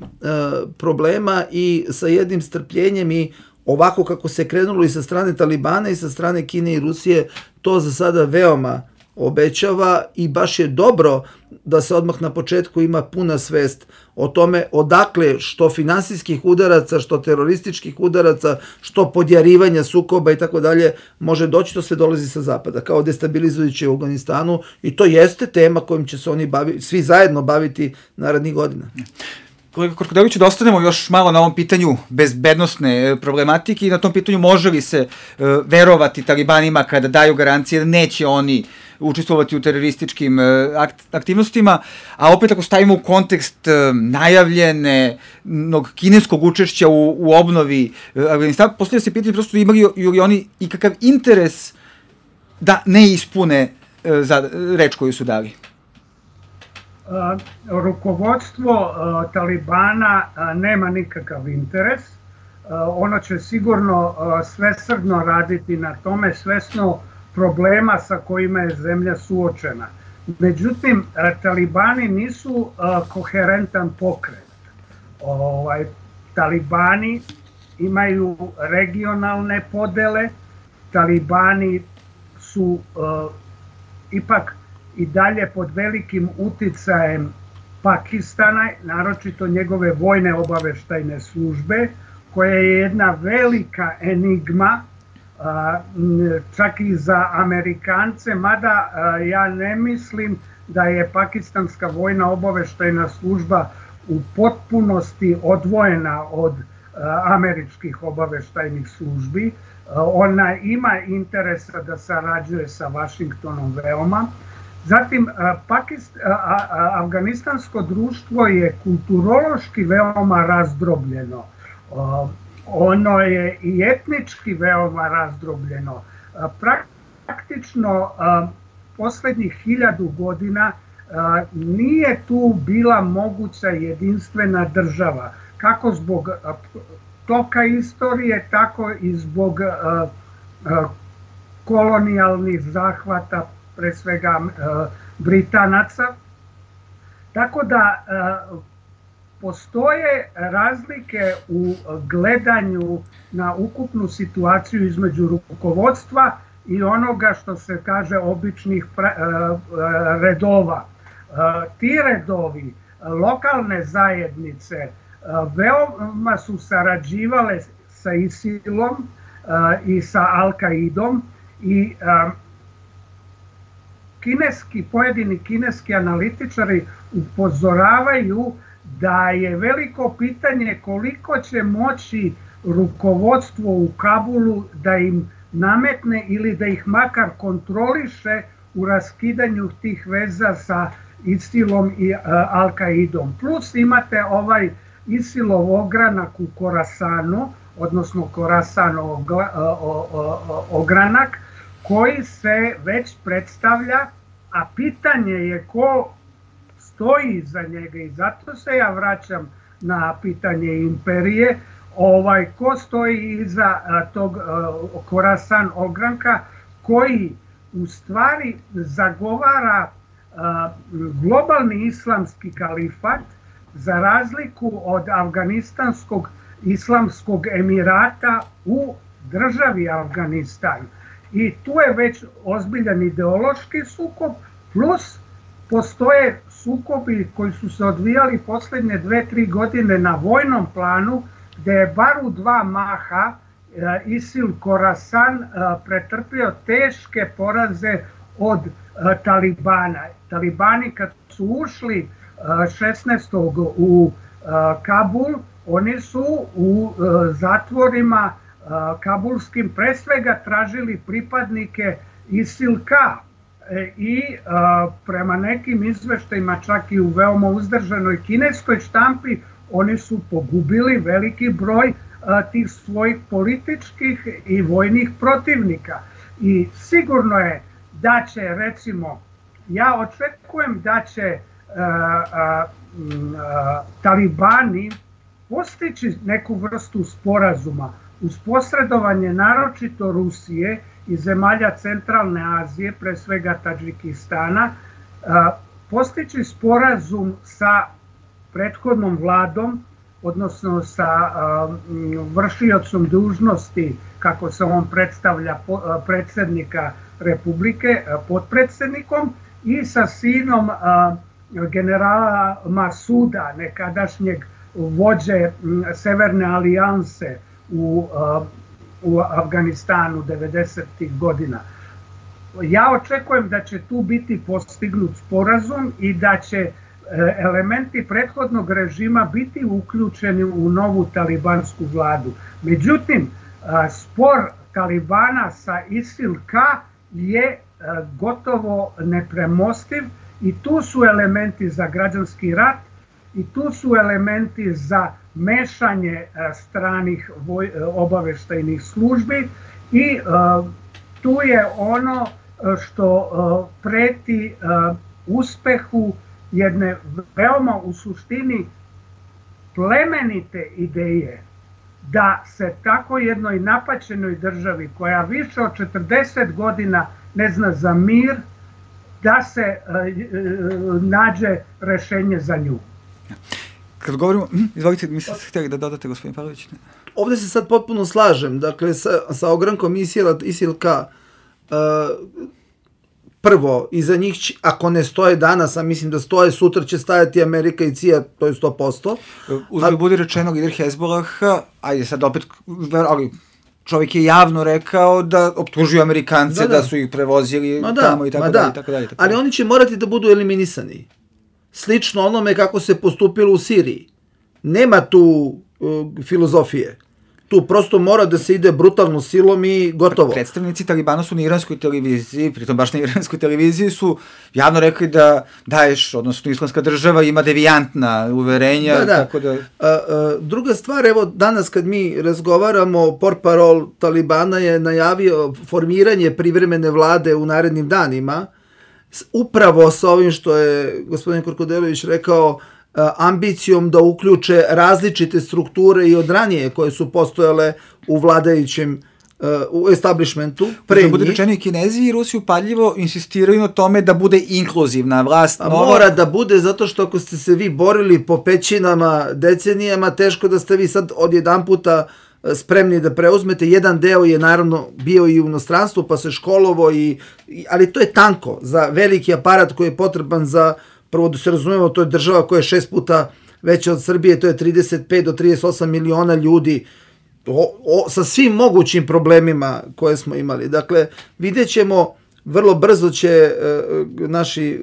problema i sa jednim strpljenjem i ovako kako se krenulo i sa strane Talibana i sa strane Kine i Rusije, to za sada veoma obećava i baš je dobro da se odmah na početku ima puna svest o tome odakle što finansijskih udaraca, što terorističkih udaraca, što podjarivanja sukoba i tako dalje može doći, to sve dolazi sa zapada, kao destabilizujuće u Afganistanu i to jeste tema kojim će se oni svi zajedno baviti narednih godina. Kolega Korkodeviću, da ostanemo još malo na ovom pitanju bezbednosne problematike i na tom pitanju može li se verovati Talibanima kada daju garancije da neće oni učestvovati u terorističkim aktivnostima, a opet ako stavimo u kontekst najavljenog kineskog učešća u obnovi Afganistana, postavlja se pitanje prosto imali li oni ikakav interes da ne ispune za reč koju su dali? Rukovodstvo Talibana nema nikakav interes. Ono će sigurno svesrdno raditi na tome, svesno problema sa kojima je zemlja suočena. Međutim, Talibani nisu koherentan pokret. Talibani imaju regionalne podele, Talibani su ipak i dalje pod velikim uticajem Pakistana, naročito njegove vojne obaveštajne službe, koja je jedna velika enigma, čak i za Amerikance, mada ja ne mislim da je pakistanska vojna obaveštajna služba u potpunosti odvojena od američkih obaveštajnih službi. Ona ima interesa da sarađuje sa Vašingtonom veoma. Zatim, afganistansko društvo je kulturološki veoma razdrobljeno. Ono je i etnički veoma razdrobljeno. Praktično poslednjih 1000 godina nije tu bila moguća jedinstvena država, kako zbog toka istorije, tako i zbog kolonijalnih zahvata, pre svega Britanaca. Tako da postoje razlike u gledanju na ukupnu situaciju između rukovodstva i onoga što se kaže običnih redova. Ti redovi, lokalne zajednice, veoma su sarađivale sa ISIL-om i sa Al-Kaidom i pojedini kineski analitičari upozoravaju da je veliko pitanje koliko će moći rukovodstvo u Kabulu da im nametne ili da ih makar kontroliše u raskidanju tih veza sa ISIL-om i Al-Kaidom. Plus imate ovaj ISIL-ov ogranak u Korasanu, odnosno Korasanov ogranak, koji se već predstavlja, a pitanje je ko stoji iza njega i zato se ja vraćam na pitanje imperije, ko stoji iza tog Korasan ogranka koji u stvari zagovara globalni islamski kalifat za razliku od Afganistanskog islamskog emirata u državi Afganistan. I tu je već ozbiljan ideološki sukob, plus postoje sukobi koji su se odvijali poslednje 2-3 godine na vojnom planu, gde je bar u 2 maha ISIL Khorasan pretrpio teške poraze od Talibana. Talibani kad su ušli 16. u Kabul, oni su u zatvorima kabulskim pre svega tražili pripadnike ISIL-K i prema nekim izveštajima čak i u veoma uzdržanoj kineskoj štampi oni su pogubili veliki broj tih svojih političkih i vojnih protivnika. I sigurno je da će, recimo, ja očekujem da će talibani postići neku vrstu sporazuma uz posredovanje naročito Rusije i zemalja centralne Azije, pre svega Tadžikistana, postići sporazum sa prethodnom vladom, odnosno sa vršiocom dužnosti, kako se on predstavlja, predsjednika Republike, potpredsjednikom, i sa sinom generala Masuda, nekadašnjeg vođe Severne alijanse u Afganistanu 90. godina. Ja očekujem da će tu biti postignut sporazum i da će elementi prethodnog režima biti uključeni u novu talibansku vladu. Međutim, spor Talibana sa ISIL-K je gotovo nepremostiv i tu su elementi za građanski rat i tu su elementi za mešanje stranih obaveštajnih službi i tu je ono što preti uspehu jedne veoma u suštini plemenite ideje da se tako jednoj napaćenoj državi koja više od 40 godina ne zna za mir, da se nađe rešenje za nju. Kad govorimo, izvolite, mi ste htjeli da dodate, gospodin Pavlović? Ovdje se sad potpuno slažem, dakle, sa ogrankom ISIL-K, prvo, iza njih, ako ne stoje danas, a mislim da stoje, sutra će stajati Amerika i CIA, to je 100%. Uzgled budi rečeno, lider Hezbolaha, ajde sad opet, ali čovjek je javno rekao da optužuju Amerikance da su ih prevozili tamo i tako dalje. Ali oni će morati da budu eliminisani. Slično onome kako se postupilo u Siriji. Nema tu filozofije. Tu prosto mora da se ide brutalno silom i gotovo. Predstavnici Talibana su na iranskoj televiziji, pritom baš na iranskoj televiziji su javno rekli da Daesh, odnosno Islamska država, ima devijantna uverenja. Tako da... Druga stvar, evo danas kad mi razgovaramo, portparol Talibana je najavio formiranje privremene vlade u narednim danima, upravo sa ovim što je gospodin Korkodelović rekao, ambicijom da uključe različite strukture i od ranije koje su postojale u vladajućem u establishmentu. Da bude rečeno, i Kinezi i Rusi upadljivo insistiraju na tome da bude inkluzivna vlast. Mora da bude, zato što ako ste se vi borili po pećinama decenijama, teško da ste vi sad odjedan puta spremni da preuzmete. Jedan deo je naravno bio i u inostranstvu, pa se školovo, ali to je tanko za veliki aparat koji je potreban za, prvo da se razumemo, to je država koja je 6 puta veća od Srbije, to je 35 do 38 miliona ljudi, sa svim mogućim problemima koje smo imali. Dakle, vidjet ćemo, vrlo brzo će naši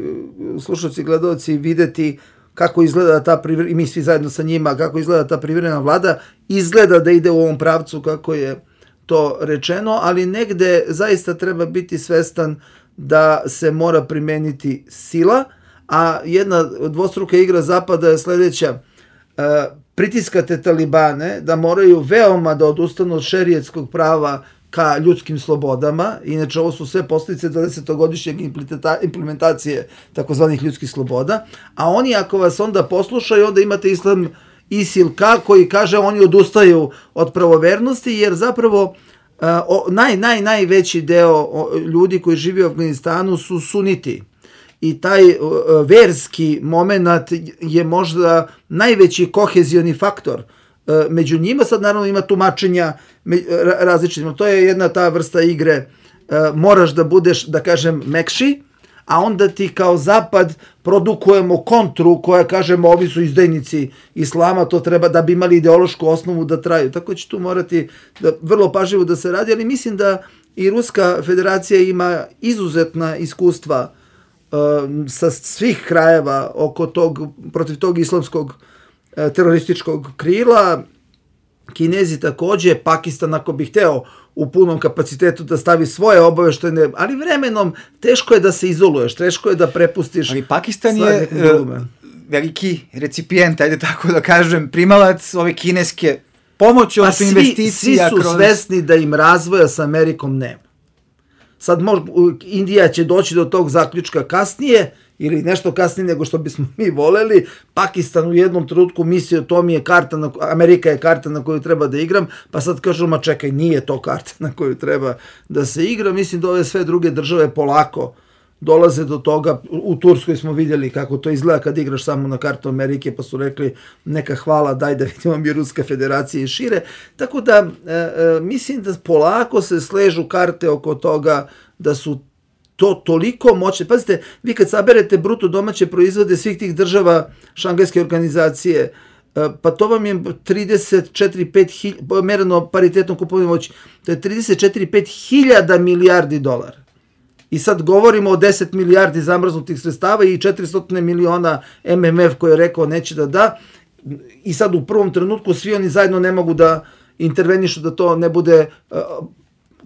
slušalci i gledalci videti kako izgleda ta privremena, i mi svi zajedno sa njima, kako izgleda ta privremena vlada. Izgleda da ide u ovom pravcu kako je to rečeno, ali negde zaista treba biti svestan da se mora primeniti sila, a jedna dvostruka igra Zapada je sledeća. Pritiskate Talibane da moraju veoma da odustanu od šerijetskog prava ka ljudskim slobodama, inače ovo su sve posljedice 20-godišnjeg implementacije takozvanih ljudskih sloboda, a oni ako vas onda poslušaju, onda imate islam ISIL-K koji kaže oni odustaju od pravovernosti, jer zapravo najveći deo ljudi koji živi u Afganistanu su suniti. I taj verski moment je možda najveći kohezioni faktor. Među njima sad naravno ima tumačenja različitih. To je jedna ta vrsta igre. Moraš da budeš, da kažem, mekši, a onda ti kao Zapad produkujemo kontru koja kažemo ovi su izdajnici islama, to treba da bi imali ideološku osnovu da traju. Tako će tu morati da vrlo pažljivo da se radi, ali mislim da i Ruska federacija ima izuzetna iskustva sa svih krajeva protiv tog islamskog terorističkog krila. Kinezi takođe, Pakistan ako bi hteo u punom kapacitetu da stavi svoje obaveštajne, ali vremenom teško je da se izoluješ, teško je da prepustiš. Ali Pakistan je veliki recipijent, ajde tako da kažem, primalac ove kineske pomoći, odnosno investicija. Svi su svesni da im razvoja sa Amerikom nema. Sad Indija će doći do tog zaključka kasnije, ili nešto kasnije nego što bismo mi voleli. Pakistan u jednom trenutku mislio to mi je karta, Amerika je karta na koju treba da igram, pa sad kažu, ma čekaj, nije to karta na koju treba da se igra. Mislim da ove sve druge države polako dolaze do toga. U Turskoj smo vidjeli kako to izgleda kad igraš samo na kartu Amerike, pa su rekli neka hvala, daj da vidimo mi Ruska federacija i šire. Tako da mislim da polako se sležu karte oko toga da su to toliko moćne. Pazite, vi kad saberete bruto domaće proizvode svih tih država Šangajske organizacije, pa to vam je 34-5 mereno paritetnom kupovnom moći, to je 34-5 hiljada milijardi dolara. I sad govorimo o 10 milijardi zamrznutih sredstava i 400 miliona MMF koji je rekao neće da da. I sad u prvom trenutku svi oni zajedno ne mogu da intervenišu da to ne bude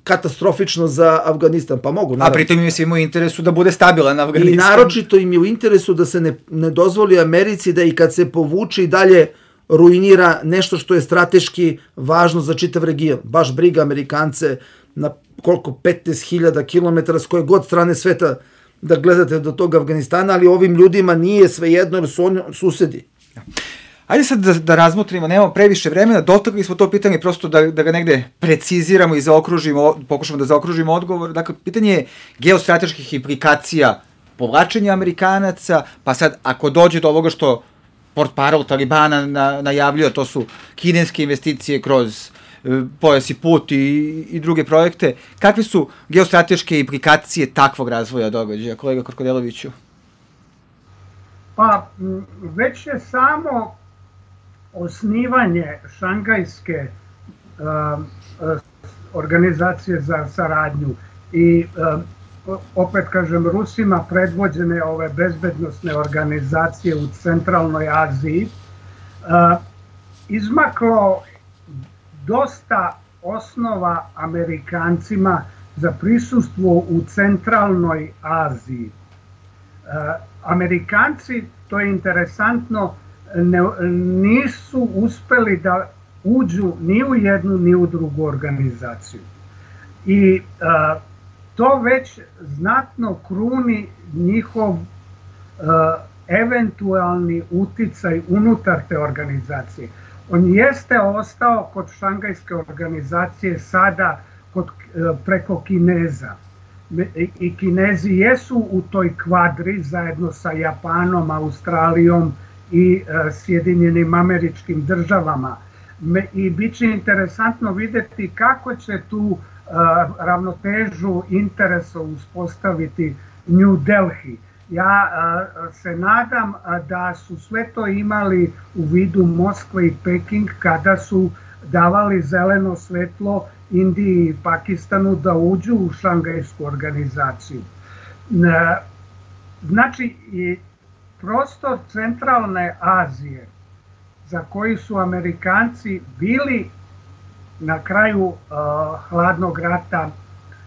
katastrofično za Afganistan, pa mogu. Naravno. A pritom im je svima u interesu da bude stabilan Afganistan. I naročito im je u interesu da se ne dozvoli Americi da i kad se povuče i dalje ruinira nešto što je strateški važno za čitav region. Baš briga Amerikance na koliko 15.000 km s koje god strane sveta da gledate do tog Afganistana, ali ovim ljudima nije svejedno jer su oni susedi. Ajde sad da razmotrimo, nemamo previše vremena, dotakli smo to pitanje prosto da ga negde preciziramo i zaokružimo, pokušamo da zaokružimo odgovor. Dakle, pitanje je geostrateških implikacija povlačenja Amerikanaca, pa sad ako dođe do ovoga što portparol Talibana najavljuje, to su kineske investicije kroz Pojas i put i druge projekte, kakve su geostrateške implikacije takvog razvoja događaja, kolega Krkodeloviću? Pa, već je samo osnivanje Šangajske organizacije za saradnju i opet kažem Rusima predvođene ove bezbednosne organizacije u centralnoj Aziji izmaklo dosta osnova Amerikancima za prisustvo u centralnoj Aziji. Amerikanci, to je interesantno, nisu uspeli da uđu ni u jednu ni u drugu organizaciju. I to već znatno kruni njihov eventualni uticaj unutar te organizacije. On jeste ostao kod Šangajske organizacije sada preko Kineza. I Kinezi jesu u toj kvadri zajedno sa Japanom, Australijom i Sjedinjenim Američkim Državama. I bit će interesantno vidjeti kako će tu ravnotežu interesa uspostaviti New Delhi. Ja se nadam da su sve to imali u vidu Moskva i Peking kada su davali zeleno svetlo Indiji i Pakistanu da uđu u Šangajsku organizaciju. Znači, prostor centralne Azije za koji su Amerikanci bili na kraju hladnog rata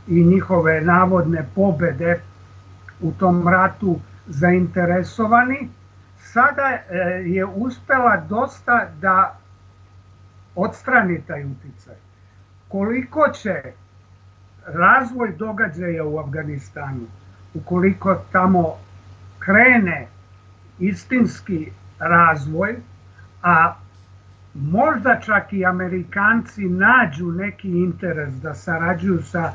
i njihove navodne pobede u tom ratu zainteresovani, sada je uspela dosta da odstrani taj uticaj. Koliko će razvoj događaja u Afganistanu, ukoliko tamo krene istinski razvoj, a možda čak i Amerikanci nađu neki interes da sarađuju sa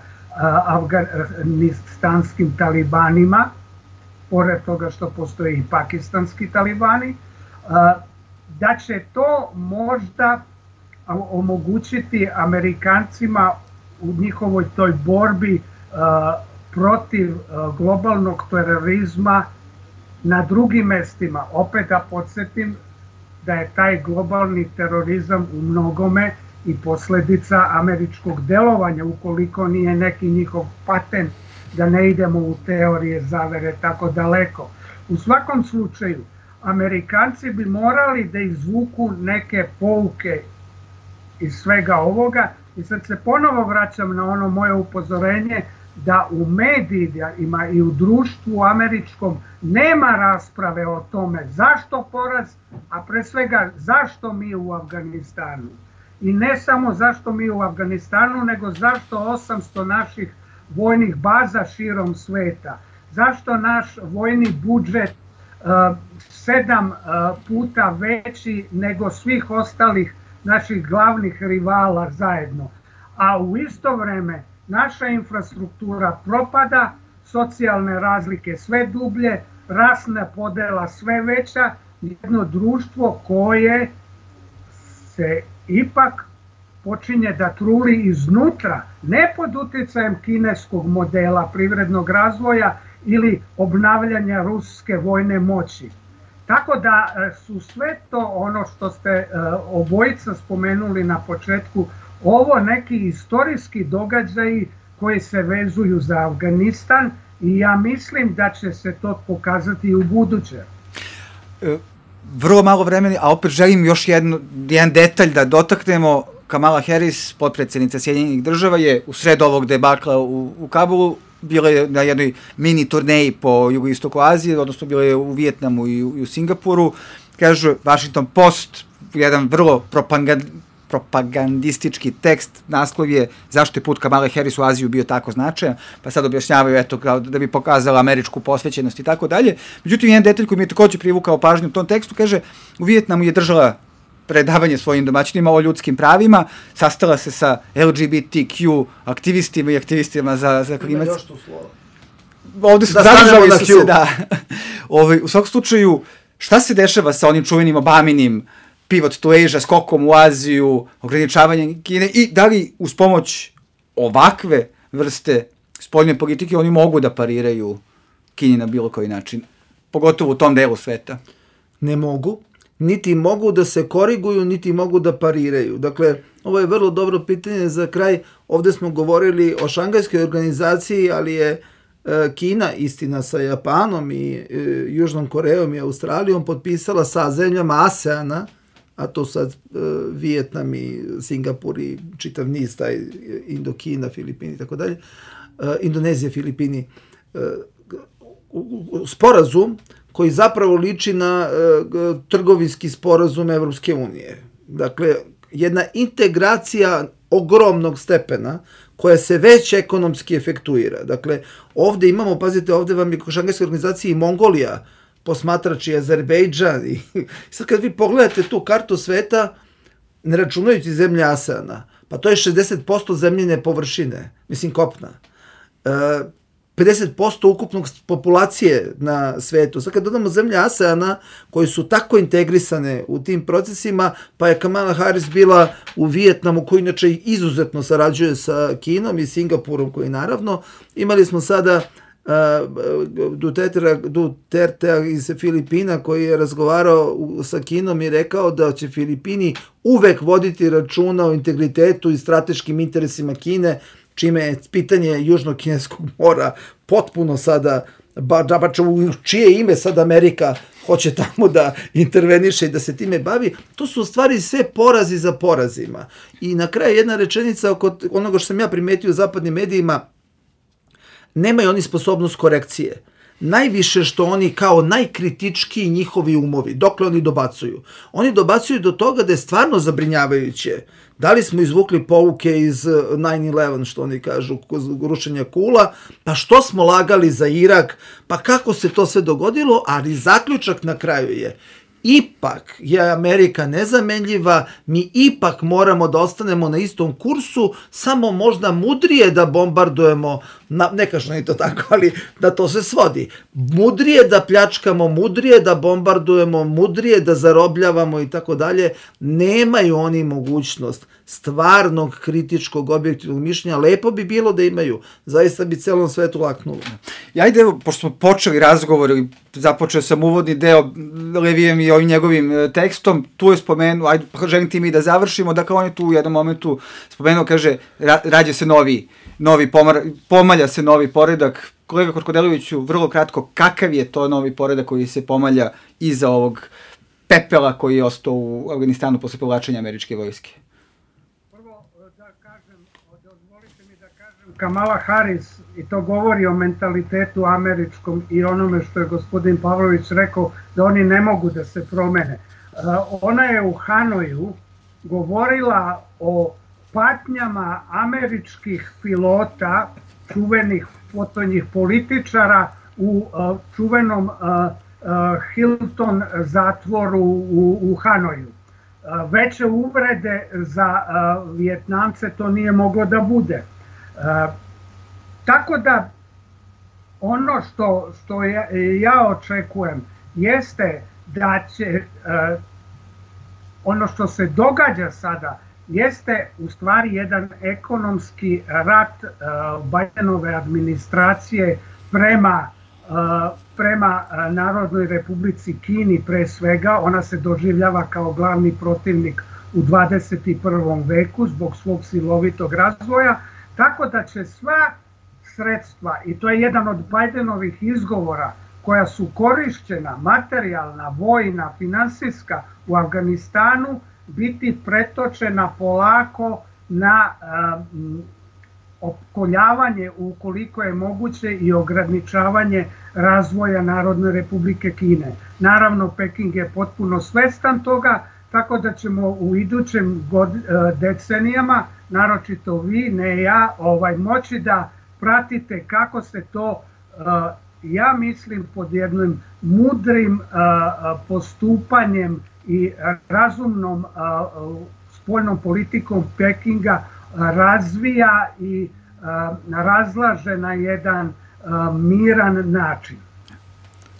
afganistanskim talibanima, pored toga što postoje i pakistanski talibani, da će to možda omogućiti Amerikancima u njihovoj toj borbi protiv globalnog terorizma na drugim mestima. Opet da podsjetim da je taj globalni terorizam u mnogome i posljedica američkog delovanja, ukoliko nije neki njihov patent, da ne idemo u teorije zavere tako daleko. U svakom slučaju, Amerikanci bi morali da izvuku neke pouke iz svega ovoga i sad se ponovo vraćam na ono moje upozorenje da u medijima i u društvu američkom nema rasprave o tome zašto poraz, a pre svega zašto mi u Afganistanu. I ne samo zašto mi u Afganistanu, nego zašto 800 naših vojnih baza širom sveta? Zašto naš vojni budžet 7 puta veći nego svih ostalih naših glavnih rivala zajedno? A u isto vreme naša infrastruktura propada, socijalne razlike sve dublje, rasna podela sve veća, jedno društvo koje se ipak počinje da truli iznutra, ne pod utjecajem kineskog modela privrednog razvoja ili obnavljanja ruske vojne moći. Tako da su sve to ono što ste obojica spomenuli na početku, ovo neki istorijski događaji koji se vezuju za Afganistan i ja mislim da će se to pokazati i u buduće. Vrlo malo vremena, a opet želim još jedan detalj da dotaknemo. Kamala Harris, potpredsjednica Sjedinjenih država, je u sred ovog debakla u Kabulu bila je na jednoj mini turneji po jugoistoku Azije, odnosno bila je u Vijetnamu i u Singapuru. Kaže Washington Post, jedan vrlo propagandistički tekst, naslov je zašto je put Kamale Harris u Aziju bio tako značajan, pa sad objašnjavaju eto kao da bi pokazala američku posvećenost i tako dalje. Međutim, jedan detalj koji mi je također privukao pažnju u tom tekstu, kaže, u Vijetnamu je držala predavanje svojim domaćinima o ljudskim pravima, sastala se sa LGBTQ aktivistima i aktivistima za klimac. Ima još tu slova. Ovde su zadržali su se, da. U svakom slučaju, šta se dešava sa onim čuvenim Obaminim pivot to Asia, skokom u Aziju, ograničavanjem Kine i da li uz pomoć ovakve vrste spoljne politike oni mogu da pariraju Kini na bilo koji način, pogotovo u tom delu sveta? Ne mogu, niti mogu da se koriguju, niti mogu da pariraju. Dakle, ovo je vrlo dobro pitanje za kraj. Ovde smo govorili o Šangajskoj organizaciji, ali je Kina, istina sa Japanom i Južnom Korejom i Australijom, potpisala sa zemljama ASEANA, a to sad Vijetnam i Singapur i čitav niz, taj Indokina, Filipini i tako dalje, Indonezija, Filipini, sporazum koji zapravo liči na trgovinski sporazum Evropske unije. Dakle, jedna integracija ogromnog stepena koja se već ekonomski efektuira. Dakle, ovde imamo, pazite, ovde vam je u Šangajskoj organizaciji i Mongolija, posmatrač i Azerbejdžan. I sad kad vi pogledate tu kartu sveta, ne računajući zemlje ASEANA, pa to je 60% zemljine površine, mislim kopna. 50% ukupnog populacije na svetu. Sad kad dodamo zemlje ASEANA koji su tako integrisane u tim procesima, pa je Kamala Harris bila u Vijetnamu koji inače izuzetno sarađuje sa Kinom i Singapurom koji naravno. Imali smo sada Dutertea iz Filipina koji je razgovarao sa Kinom i rekao da će Filipini uvek voditi računa o integritetu i strateškim interesima Kine, čime je pitanje Južnog kineskog mora potpuno sada, u čije ime sad Amerika hoće tamo da interveniše i da se time bavi, to su u stvari sve porazi za porazima. I na kraju jedna rečenica oko onoga što sam ja primetio u zapadnim medijima, nemaju oni sposobnost korekcije. Najviše što oni kao najkritičkiji njihovi umovi, dokle oni dobacuju? Oni dobacuju do toga da je stvarno zabrinjavajuće. Da li smo izvukli pouke iz 9/11, što oni kažu, rušenja Kula, pa što smo lagali za Irak, pa kako se to sve dogodilo, ali zaključak na kraju je, ipak je Amerika nezamenljiva, mi ipak moramo da ostanemo na istom kursu, samo možda mudrije da bombardujemo, ne kažem ni to tako, ali da to se svodi. Mudrije da pljačkamo, mudrije da bombardujemo, mudrije da zarobljavamo i tako dalje. Nemaju oni mogućnost stvarnog kritičkog objektivnog mišljenja. Lepo bi bilo da imaju. Zaista bi celom svetu laknulo. Ja ajde, pošto smo počeli razgovor, započeo sam uvodni deo Levijem i ovim njegovim tekstom, tu je spomenuo, ajde, želim ti mi da završimo, dakle on je tu u jednom momentu spomenuo, kaže, rađa se pomalja se novi poredak. Kolega Korkodeliviću, vrlo kratko, kakav je to novi poredak koji se pomalja iza ovog pepela koji je ostao u Afganistanu posle povlačenja američke vojske? Prvo da kažem, dozvolite mi da kažem, Kamala Harris, i to govori o mentalitetu američkom i onome što je gospodin Pavlović rekao, da oni ne mogu da se promene. Ona je u Hanoju govorila o patnjama američkih pilota čuvenih fotonjih političara u čuvenom Hilton zatvoru u Hanoju. Veće uvrede za Vijetnamce to nije moglo da bude. Tako da ono što ja očekujem jeste da će ono što se događa sada jeste u stvari jedan ekonomski rat Bidenove administracije prema Narodnoj Republici Kini pre svega. Ona se doživljava kao glavni protivnik u 21. veku zbog svog silovitog razvoja, tako da će sva sredstva, i to je jedan od Bidenovih izgovora, koja su korišćena, materijalna, vojna, finansijska u Afganistanu, biti pretočena polako na opkoljavanje, ukoliko je moguće, i ograničavanje razvoja Narodne Republike Kine. Naravno, Peking je potpuno svestan toga, tako da ćemo u idućim decenijama, naročito vi, ne ja, moći da pratite kako se to, ja mislim, pod jednim mudrim postupanjem i razumnom spoljnom politikom Pekinga razvija i razlaže na jedan miran način.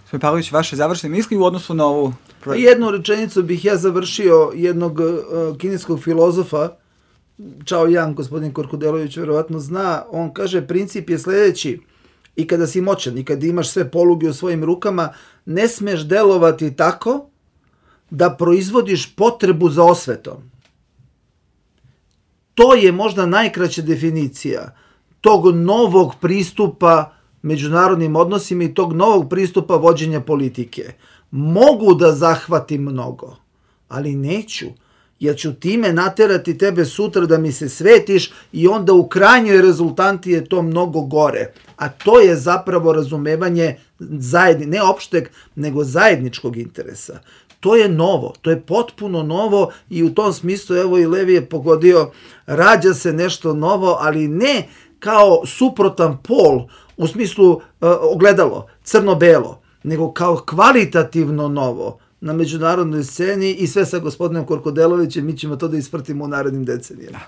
Gospodin Pavlović, vaše završne misli u odnosu na ovu... Jednu rečenicu bih ja završio jednog kineskog filozofa, Čao Yang, gospodin Korkudelović verovatno zna, on kaže princip je sljedeći: i kada si moćan i kada imaš sve poluge u svojim rukama, ne smeš delovati tako da proizvodiš potrebu za osvetom. To je možda najkraća definicija tog novog pristupa međunarodnim odnosima i tog novog pristupa vođenja politike. Mogu da zahvatim mnogo, ali neću, jer ću time naterati tebe sutra da mi se svetiš i onda u krajnjoj rezultanti je to mnogo gore. A to je zapravo razumevanje ne opšteg, nego zajedničkog interesa. To je novo, to je potpuno novo i u tom smislu, evo i Levi je pogodio, rađa se nešto novo, ali ne kao suprotan pol, u smislu ogledalo, crno-belo, nego kao kvalitativno novo na međunarodnoj sceni i sve sa gospodinom Korkudelovićem, mi ćemo to da isprtimo u narednim decenijama.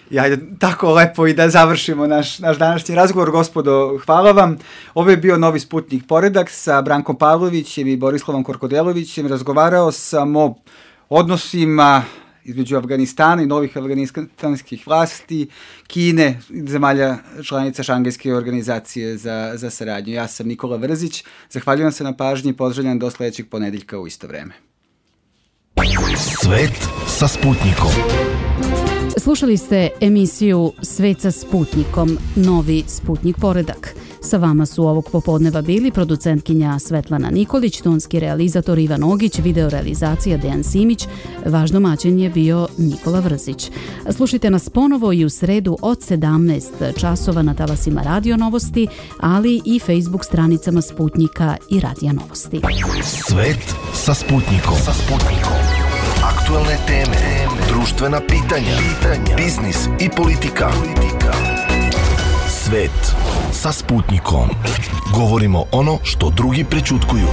I ajde tako lepo i da završimo naš današnji razgovor. Gospodo, hvala vam. Ovo je bio Novi Sputnik Poredak sa Brankom Pavlovićem i Borislavom Korkudelovićem. Razgovarao sam o odnosima između Afganistana i novih afganistanskih vlasti, Kine, zemalja članica Šangajske organizacije za saradnju. Ja sam Nikola Vrzić, zahvaljujem se na pažnji i pozdravljam do sledećeg ponedeljka u isto vreme. Svet sa Sputnikom. Slušali ste emisiju Svet sa Sputnikom, Novi Sputnik Poredak. Sa vama su ovog popodneva bili producentkinja Svetlana Nikolić, tonski realizator Ivan Ogić, videorealizacija Dejan Simić, vaš domaćin je bio Nikola Vrzić. Slušajte nas ponovo i u sredu od 17 časova na talasima Radio Novosti, ali i Facebook stranicama Sputnika i Radija Novosti. Svet sa Sputnikom. Aktualne teme, društvena pitanja, biznis i politika. Svet sa Sputnikom. Govorimo ono što drugi prećutkuju.